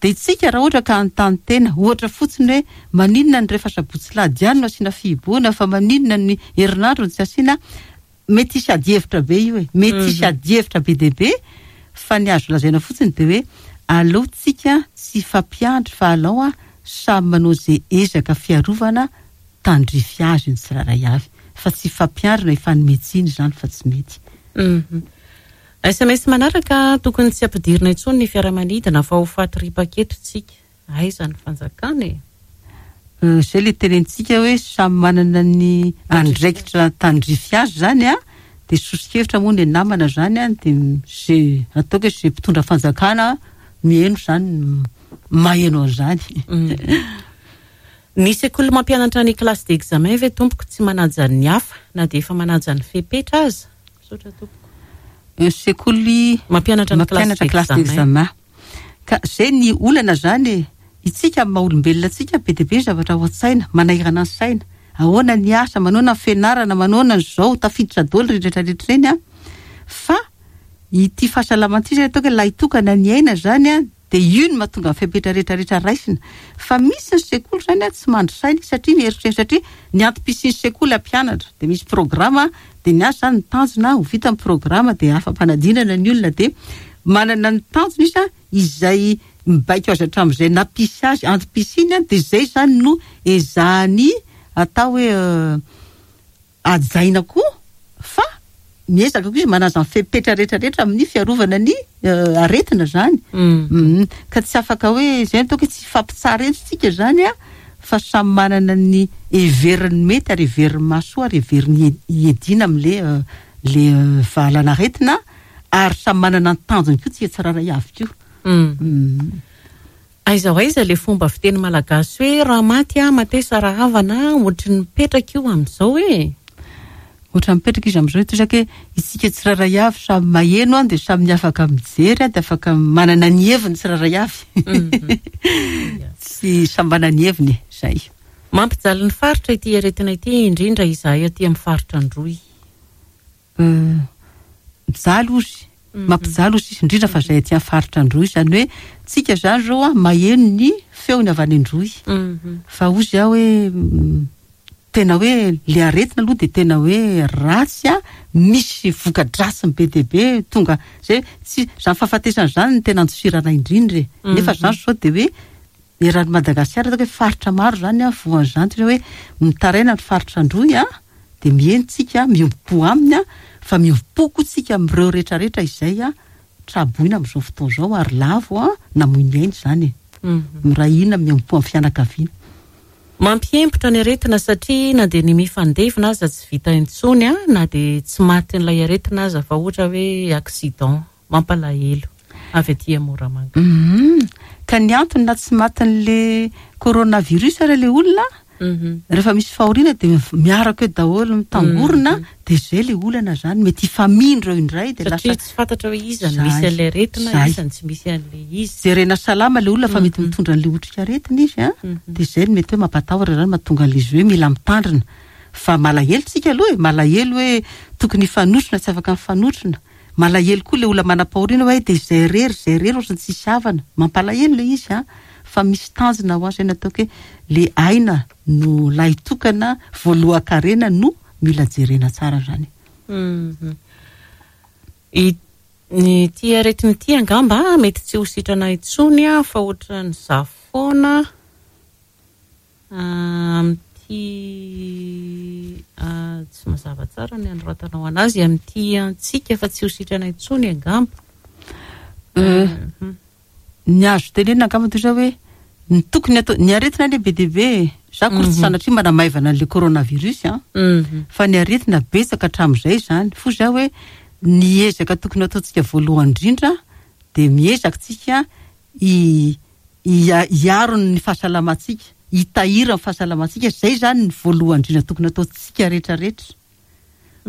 Dia itsika raha ohatra ka hanontany tena, ohatra fotsiny hoe maninona ny rehefa sabotsy lahady ihany no asiana fihibohana fa maninona ny herinandro no tsy asiana, mety hisy adihevitra be io e, mety hisy adihevitra be dia be fa ny azo lazaina fotsiny dia hoe aleo tsika tsy hifampiandry fa alao samy manao izay ezaka fiarovana tandrify azy ny tsirairay avy fa tsy hifampiandry na hifanome tsiny izany fa tsy mety. Sms manaraka, tokony tsy ampidirina intsony ny fiaramanidina fa ho faty ripaka eto tsika. Aiza ny fanjakana e? Izay ilay tenenintsika hoe samy manana ny andraikitra tandrify azy izany an, dia soso-kevitra moa ny namana izany an, dia izay ataoko hoe izay mpitondra fanjakana miheno izany maheno an'izany. Ny sekoly mampianatra ny classe d'examen ve tompoko tsy manaja ny hafa na dia efa manaja ny fepetra aza? Misaotra tompoko. Ny sekoly mampianatra ny classe d'examen. Ka zay ny olana zany e! Itsika amin'ny maha olombelona antsika be dia be ny zavatra ao an-tsaina, manahirana ny saina. Ahoana ny asa, manaona ny fianarana, manaona ny zao, tafiditra daholo ireny rehetra rehetra ireny an! Fa ity fahasalamana ity zany ataoko hoe lahitokana ny aina zany an! Dia io no mahatonga ny fepetra rehetra rehetra raisina. Fa misy ny sekoly izany an, tsy mandry saina izy satria mieritreritra satria ny antom-pisian'ny sekoly hampianatra. Dia misy programa, dia ny azy izany ny tanjona ho vita ny programa dia afa-panadinana ny olona dia manana ny tanjona izy an, izay mibaiko azy hatramin'izay nampisy azy, antom-pisiany an, dia izay izany no ezahany atao hoe Hajaina koa fa miezaka koa izy manaja ny fepetra rehetra rehetra amin'ny fiarovana ny aretina izany. Ka tsy afaka hoe izay no ataoko hoe tsy hifampitsara eto isika izany an, fa samy manana ny heveriny mety ary heveriny mahasoa ary heveriny hiadiana amin'ilay ilay valan'aretina ary samy manana ny tanjony koa tsika tsirairay avy koa. Aiza ho aiza ilay fomba fiteny malagasy hoe raha maty aho matesa rahavana ohatry ny mipetraka io amin'izao e! Ohatran'ny mipetraka izy amin'izao toy izany hoe isika tsirairay avy samy maheno an dia samy afaka mijery an dia afaka manana ny heviny tsirairay avy. Tsy samy manana ny heviny e, izay. Mampijaly ny faritra ity aretina ity indrindra izahay aty amin'ny faritra Androy. Mijaly ozy, mampijaly ozy sisa, indrindra fa zay aty amin'ny faritra Androy, izany hoe tsika zany zao an maheno ny feony avy any Androy, fa ozy aho hoe tena hoe le aretina aloha dia tena hoe ratsy an, misy voka-dratsiny be dia be tonga zay tsy zany fahafatesana zany no tena andosirana indrindra e, nefa zany sao dia hoe eran'i Madagasikara ataoko hoe faritra maro zany an voan'izany toy ny hoe mitaraina ny faritra Androy an, dia miheno tsika, miombom-po aminy an, fa miombom-po koa tsika amin'ireo rehetra rehetra izay an. traboina amin'izao fotoana izao ary lavo an, namoy ny ainy izany e. Miray hina miombom-po amin'ny fianakaviana. Mampiempotra ny aretina satria na dia ny mifandevina aza tsy vita intsony na dia tsy matin'ilay aretina aza fa ohatra hoe accident. Mampalahelo. Avy aty Moramanga. Humm. Ka ny antony na tsy matin'le coronavirus ara le olona, rehefa misy fahoriana dia miaraka eo daholo mitangorona, dia zay le olana zany, mety hifamindra eo indray dia lasa. Satria tsy fantatra hoe iza no misy an'ilay aretina, iza no tsy misy an'ilay izy. Jerena salama le olona fa mety mitondra an'le otrikaretina izy an, dia zay no mety hoe mampatahotra zany mahatonga an'le izy hoe mila mitandrina. Fa malahelo tsika aloha e, malahelo hoe tokony hifanotrona tsy afaka mifanotrona. Malahelo koa le olona manam-pahoriana hoe dia izay irery izay irery ohatran'ny tsisy havana. Mampalahelo le izy an! Fa misy tanjona ho azy zay nataoko hoe le aina no lahitokana voalohan-karena no mila jerena tsara zany. Ity aretina ity angamba mety tsy ho sitrana intsony fa ohatran'izaho foana. Amin'ity tsy mazava tsara ny anoratanao anazy, amin'ity antsika fa tsy ho sitrana intsony angamba. Ny azo tenenina angamba toy izao hoe ny tokony atao, ny aretina anie be dia be e. Za akory tsy sanatria manamaivana an'ilay coronavirus an, fa ny aretina betsaka hatramin'izay izany. Fo za hoe ny ezaka tokony ataontsika voalohany indrindra dia miezaka tsika hi hiaro ny fahasalamantsika, hitahiry ny fahasalamantsika, izay izany ny voalohany indrindra tokony ataontsika rehetra rehetra.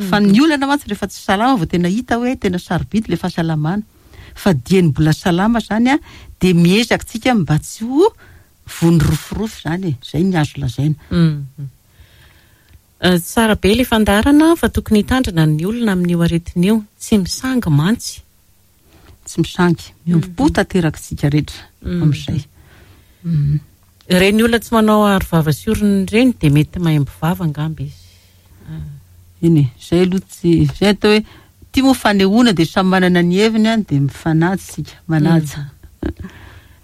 Fa ny olana mantsy rehefa tsy salama vao tena hita hoe tena sarobidy ilay fahasalamana. Fa dieny mbola salama izany an, dia miezaka tsika mba tsy ho voan'ny rofirofy izany e, izay ny azo lazaina. Tsara be ilay fandaharana fa tokony hitandrina ny olona amin'io aretina io, tsy misangy mantsy. Tsy misangy. Miombom-po tanteraka isika rehetra amin'izay. Ireny olona tsy manao aro vava sy orona ireny dia mety maimbo vava angamba izy. Eny e, izay aloha tsy, izay atao hoe ity moa fanehoana dia samy manana ny heviny an, dia mifanaja isika, manaja.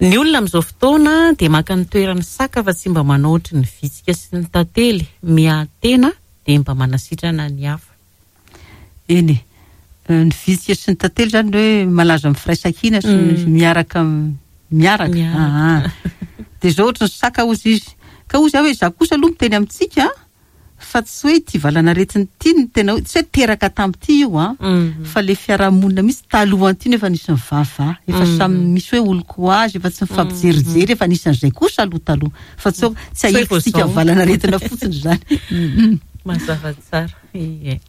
Ny olona amin'izao fotoana dia maka ny toeran'ny saka fa tsy mba manao ohatry ny vitsika sy ny tantely, miahy tena dia mba manasitrana ny hafa. Eny e. Ny vitsika sy ny tantely izany hoe malaza amin'ny firaisankina sy ny miaraka miaraka. Aa. Dia izao ohatry ny saka hozy izy. Ka hozy aho hoe izaho kosa aloha miteny amintsika fa tsy hoe ity valanaretina ity no tena hoe tsy hoe teraka tamin'ity io an, fa ilay fiarahamonina mihitsy talohan'ity no efa nisy nivavaha, efa samy misy hoe olon-ko azy, efa tsy nifampijerijery, efa nisy an'izay kosa aloha taloha. Fa tsy hoe tsy ahilitsika valanaretina fotsiny izany. Mazava tsara. Ie.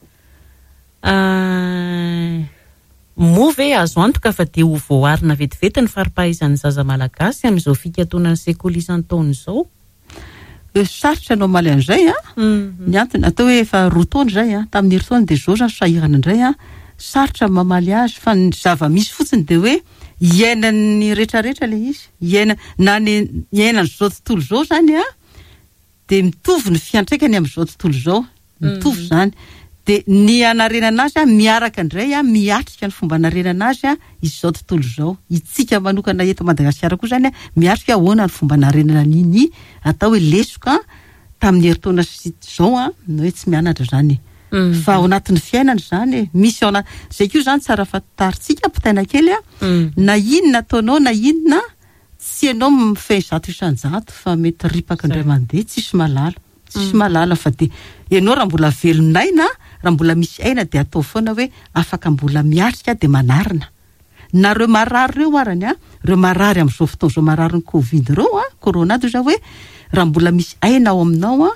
Moa ve azo antoka fa dia ho voaarina vetivety ny fari-pahaizan'ny zaza malagasy amin'izao fikatonan'ny sekoly isan-taona izao? Sarotra ny mamaly an'izay an! Ny antony, atao hoe efa roa taona izay an, tamin'ny herintaona dia izao izany sahirana indray an, sarotra ny mamaly azy fa ny zava-misy fotsiny dia hoe iainan'ny rehetrarehetra ilay izy, iaina, na ny iainan'izao tontolo izao izany an, dia mitovy ny fiantraikany amin'izao tontolo izao, mitovy izany. Dia ny hanarenana azy an, miaraka indray an, miatrika ny fomba hanarenana azy an, izao tontolo izao. Itsika manokana eto Madagasikara koa izany an, miatrika ahoana ny fomba hanarenana an'iny atao hoe lesoka tamin'ny herintaona sy izao an, ny hoe tsy mianatra izany e. Fa ao anatin'ny fiainana izany e, misy ao anaty, izay koa izany tsara fantarintsika, ampitaina kely an, na inona ataonao na inona, Tsy ianao mifehy 100% fa mety ripaka indray mandeha, tsisy mahalala, tsisy mahalala fa dia ianao raha mbola velon'aina, raha mbola misy aina dia ataovy foana hoe afaka mbola miatrika dia manarina. Na ireo marary ireo arany an, ireo marary amin'izao fotoana izao mararin'ny covid ireo an, corona toy izao hoe raha mbola misy aina ao aminao an,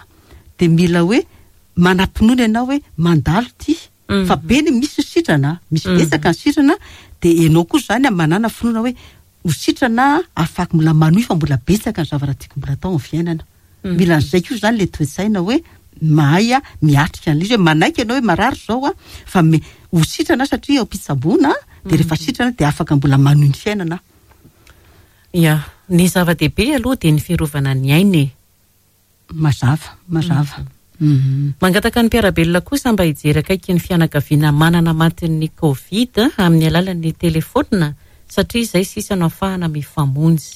dia mila hoe manam-pinoana ianao hoe mandalo ity, fa be ny misy ny sitrana, misy betsaka ny sitrana, dia ianao koa izany an manàna finoana hoe ho sitrana aho, afak mbola manohy fa mbola betsaka ny zavatra tiako mbola atao amin'ny fiainana. Mila an'izay koa izany ilay toe-tsaina hoe mahay miatrika an'ilay izy hoe manaiky ianao hoe marary izao aho fa me- ho sitrana aho satria eo am-pitsaboana dia rehefa sitrana dia afaka mbola manohy ny fiainana aho. Ya, ny zava-dehibe aloha dia ny fiarovana ny aina e. Mazava, mazava. Mangataka ny mpiara-belona kosa mba hijery akaiky ny fianakaviana manana matin'ny Covid amin'ny alalan'ny telefaonina satria izay sisa no ahafahana mifamonjy.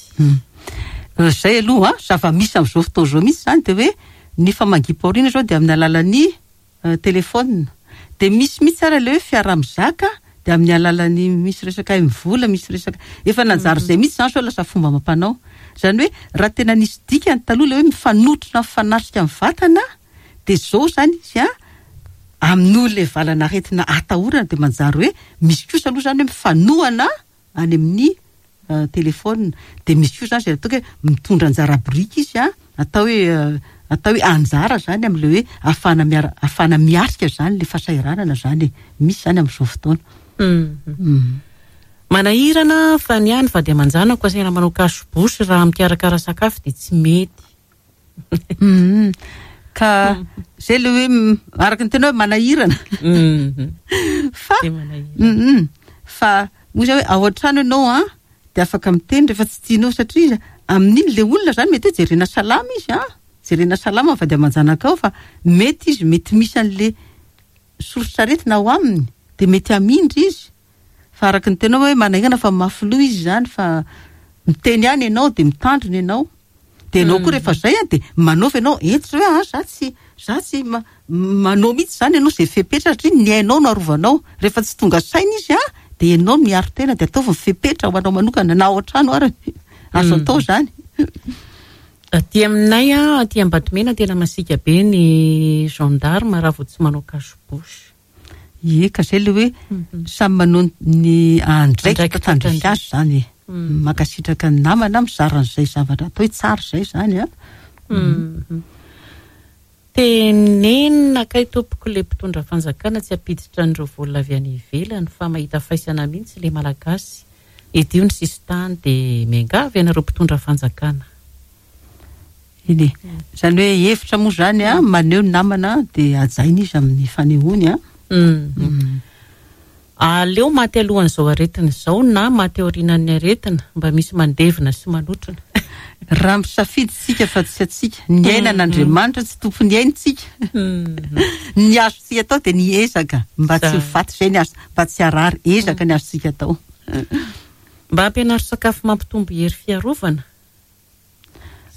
Izay aloha, zava-misy amin'izao fotoana izao mihitsy izany dia hoe ny famangiam-pahoriana izao dia amin'ny alalan'ny telefaonina. Dia misy mihitsy ary ilay hoe fiaraha-mizaka. Dia amin'ny alalan'ny misy resaka MVola, misy resaka, efa nanjary izay mihitsy izany sao lasa fomba amam-panao. Izany hoe raha tena nisy dikany taloha ilay hoe mifanotrona mifanatrika amin'ny vatana dia izao izany izy an, amin'io ilay valan'aretina atahorana dia manjary hoe misy kosa aloha izany hoe mifanohana any amin'ny telephone dia misy koa izany izay ataoko hoe mitondra anjara biriky izy an, atao hoe atao hoe anjara izany amin'ilay hoe ahafahana miara ahafahana miatrika izany ilay fahasahiranana izany e, misy izany amin'izao fotoana. Manahirana fa ny ahy ny vady aman-janako asaina manao cache bouche raha mikarakara sakafo dia tsy mety. Ka izay ilay hoe araka ny tena hoe manahirana. Fa fa moa izay hoe ao an-trano ianao an dia afaka miteny rehefa tsy tianao satria amin'iny ilay olona izany mety hoe jerena salama izy an, jerena salama ny vady aman-janakao fa mety izy mety misy an'ilay soritr'aretina ao aminy dia mety hamindra izy. Fa araka ny tenao hoe manahirana fa mafy loha izy izany fa miteny ihany ianao dia mitandrina ianao. Dia ianao koa rehefa izay an dia manaova ianao hentitra hoe ah za tsy za tsy manao mihitsy izany ianao izay fepetra satria ny ainao no arovanao. Rehefa tsy tonga saina izy an dia ianao no miaro tena dia ataovy ny fepetra ho anao manokana na ao an-trano ary. Azo atao izany. Aty aminay an, aty Ambatomena tena masiaka be ny gendarme raha vao tsy manao cache bouche. Ie, ka zay le hoe samy manao ny andraikitra tandrify azy zany e. Mankasitraka ny namana mizara an'izay zavatra atao hoe tsara izay zany a. Tenenina kay tompoko le mpitondra fanjakana tsy hampiditra an'ireo vola avy any ivelany fa mahita faisana mihitsy le malagasy. Edio ny sisintany dia miangavy anareo mpitondra fanjakana. Eny e. Izany hoe hevitra moa izany an, maneho ny namana dia hajaina izy amin'ny fanehoany an. Aleo maty alohan'izao aretina izao na maty aorianan'ny aretina, mba misy mandevina sy manotrona. Raha misafidy isika fa tsy antsika, ny aina an'Andriamanitra tsy tompon'ny aina isika. Ny azontsika atao dia ny ezaka mba tsy ho faty, izay ny azo, mba tsy harary, ezaka ny azontsika atao. Mba ampianaro sakafo mampitombo hery fiarovana.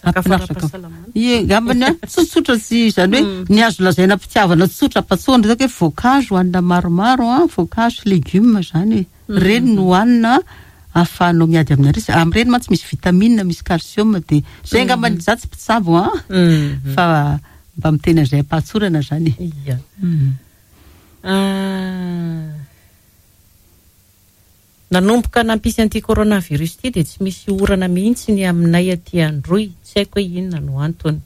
Sakafo ara-pahasalamana. Ie, angambany an, tsotsotra tsy izany hoe ny azo lazaina am-pitiavana tsotra am-patsohana zao hoe voankazo hohanina maromaro an, voankazo sy legioma izany e. Ireny no hohanina ahafahanao miady amin'ny aretina. Amin'ireny mantsy misy vitamine, misy calcium dia izay angambany, izaho tsy mpitsabo an, fa mba miteny an'izay am-pahatsorana izany e. Ia. Nanomboka nampisy an'ity coronavirus ity dia tsy misy orana mihitsy ny aminay aty Androy, tsy haiko hoe inona no antony.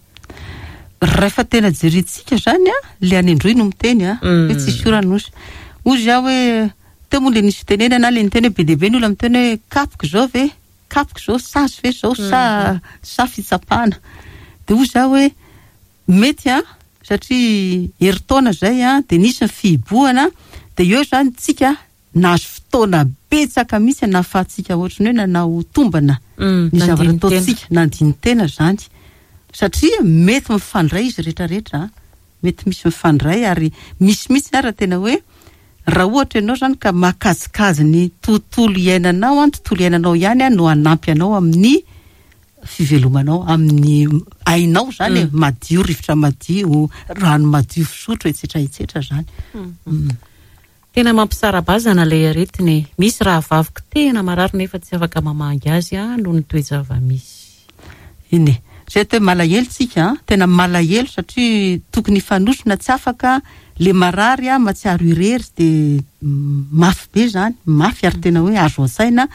Rahefa tena jerentsika izany an, le any Androy no miteny an, hoe tsisy orana ozy. Ozy aho hoe, teo moa le nisy fitenenana le niteny hoe be dia be ny olona miteny hoe kapoka izao ve, kapoka izao, sazy ve izao sa sa fitsapana. Dia ozy aho hoe mety an, satria herintaona izay an, dia nisy ny fihibohana, dia eo izany tsika Nahazo fotoana betsaka mihitsy nahafahantsika ohatran'ny hoe nanao tombana ny zavatra ataontsika, nandini-tena izany. Satria mety mifandray izy rehetrarehetra an, mety misy mifandray ary misy mihitsy ara tena hoe raha ohatra ianao izany ka mahakajikajy ny tontolo iainanao an, tontolo iainanao ihany an no hanampy anao amin'ny fivelomanao, amin'ny ainao izany e, madio, rivotra madio, rano madio fisotro, etsetra etsetra izany. Tena mampisara-bazana ilay aretina e! Misy rahavaviko tena marary nefa tsy afaka mamangy azy aho noho ny toe-java-misy. Eny e! Zay atao hoe malahelo tsika an! Tena malahelo satria tokony hifanosona tsy afaka, le marary an matsiaro irery de mafy be zany, mafy ary tena hoe azo antsaina,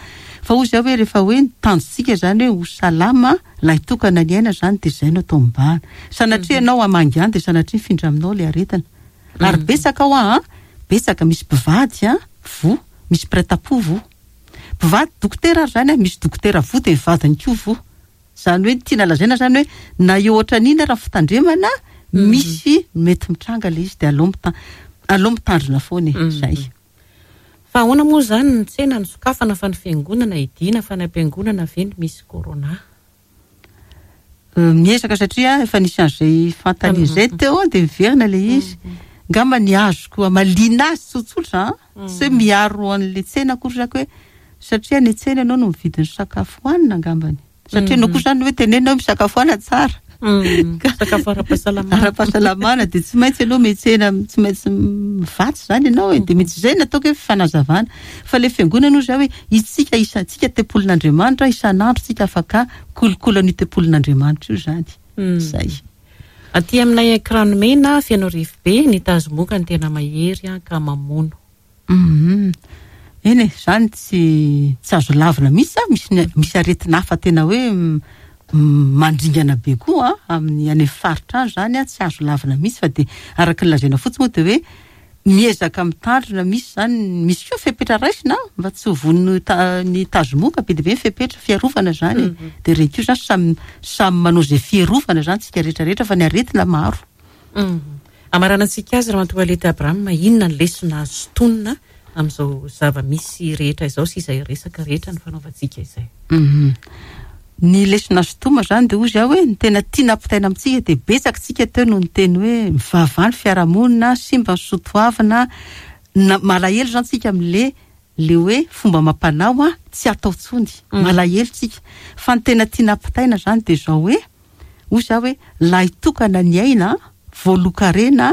fa hoy zay hoe rehefa hoe ny tanjontsika zany hoe ho salama lahitokana ny aina zany de zay no atao mibahana, sanatria ianao hamangy any de sanatria mifindra aminao le aretina. Ary betsaka hoa an, betsaka, misy mpivady an, voa, misy mpiray tampo voa. Mpivady dokotera ary zany an, misy dokotera voa dia ny vadiny koa voa. Izany hoe ny tiana lazaina zany hoe na eo ohatran'inona ary ny fitandremana, misy mety mitranga ilay izy dia aleo mita- aleo mitandrina foana e, zay. Fa ahoana moa izany ny tsena no sokafana fa ny fiangonana hidiana fa ny am-piangonana ve no misy corona? Miezaka satria efa nisy an'izay fantany izay teo dia miverina ilay izy. Angamba ny azoko hamaliana azy tsotsotra an, tsy hoe miaro an'ilay tsena akory zako hoe satria any an-tsena ianao no mividy ny sakafo hohanina angambany. Satria ianao koa izany hoe tenenina hoe misakafoana tsara. Sakafo ara-pahasalamana. Ara-pahasalamana dia tsy maintsy ianao miantsena, tsy maintsy mivatsy izany ianao e. Dia mety izay no ataoko hoe fanazavana. Fa ilay fiangonana hoy izaho hoe isika isan-tsika tempolin'Andriamanitra, isan'andro tsika afaka mikolokolo an'io tempolin'Andriamanitra io izany. Izay. Aty aminay Ankiranimena, Fenoarivobe, ny tazomoka no tena mahery ka mamono. Humm. Eny e, zany tsy tsy azo lavina mihitsy a, misy ny misy aretina hafa tena hoe mandringana be koa a, amin'ny any amin'ny faritra any zany a, tsy azo lavina mihitsy fa dia araka ny lazaina fotsiny moa dia hoe miezaka mitandrina, misy zany misy koa fepetra raisina mba tsy ho voan'ny ta- ny tazomoka, be dia be ny fepetra fiarovana zany e, dia ireny koa zany samy samy manao izay fiarovana zany tsika rehetra rehetra fa ny aretina maro. Hamaranantsika azy Ramatoa Aleta Abraham, inona ny lesona azo sintonina amin'izao zava-misy rehetra izao sy izay resaka rehetra nifanaovantsika izay? Ny lesona azo sintomina izany dia hoy izaho hoe ny tena tiana ampitaina amintsika dia betsaka isika teo no niteny hoe mivavaha ny fiarahamonina, simba ny soatoavina, na malahelo izany isika amin'le le hoe fomba amam-panao tsy atao intsony, malahelo isika. Fa ny tena tiana ampitaina izany dia izao hoe Hoy za hoe lahy tokana ny aina, voalohan-karena,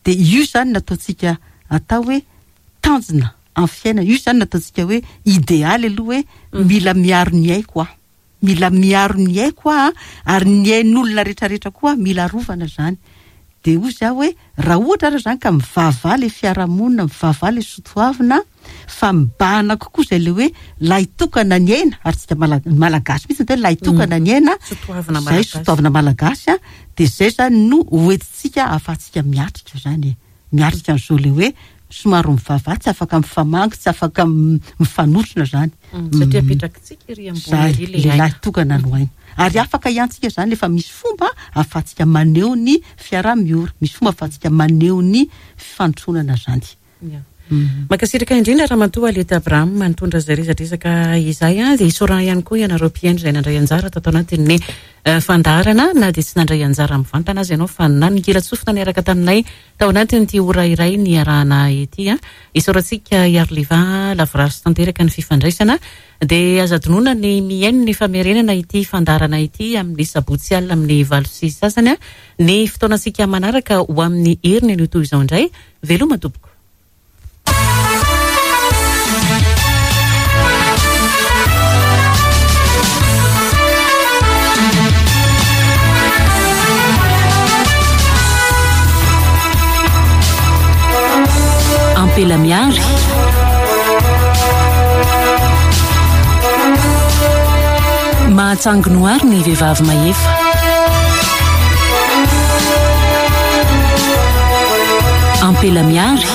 dia io izany no ataontsika atao hoe tanjona amin'ny fiainana, io izany no ataontsika hoe idealy aloha hoe mila miaro ny aiko aho, mila miaro ny aiko aho ary ny ain'olona rehetrarehetra koa mila arovana izany. Dia hoy za hoe raha ohatra ary izany ka mivavaha ilay fiarahamonina, mivavaha ilay sotoavina, fa mibahana kokoa izay ilay hoe lahy tokana ny aina, ary tsika mala- malagasy mihitsy ny tena lahy tokana ny aina, Sotoavina izay malagasy. sotoavina malagasy an, dia izay izany no hoentintsika ahafahantsika miatrika izany e, miatrika an'izao ilay hoe somary mivavaha, tsy afaka mifamangy, tsy afaka mifanotrona izany. Satria apetrakitsika ery ambony Izay, ery ilay lehilahy aina. tokana no aina. Ary afaka ihany tsika izany efa misy fomba ahafahantsika maneho ny fiaraha-miory, misy fomba ahafahantsika maneho ny fifanontronana izany. Mankasitraka indrindra Ramatoa Aleta Abraham nitondra izay resadresaka izay. Dia isaorana ihany koa ianareo mpihaino izay nandray anjara tato anatin'ny fandaharana na dia tsy nandray anjara mivantana aza ianao fa nanongilan-tsofina niaraka taminay tao anatin'ity ora iray niarahana ity. Isaorantsika Iariliva lavorary sy tanteraka ny fifandraisana. Dia aza adinoina ny mihaino ny famerenana ity fandaharana ity amin'ny sabotsy alina amin'ny 8:30. Ny fotoanantsika manaraka ho amin'ny heriny anio toy izao indray. Veloma tompoko. Ampela miary. Mahatsangy noary ny vehivavy mahefa. Ampela miary.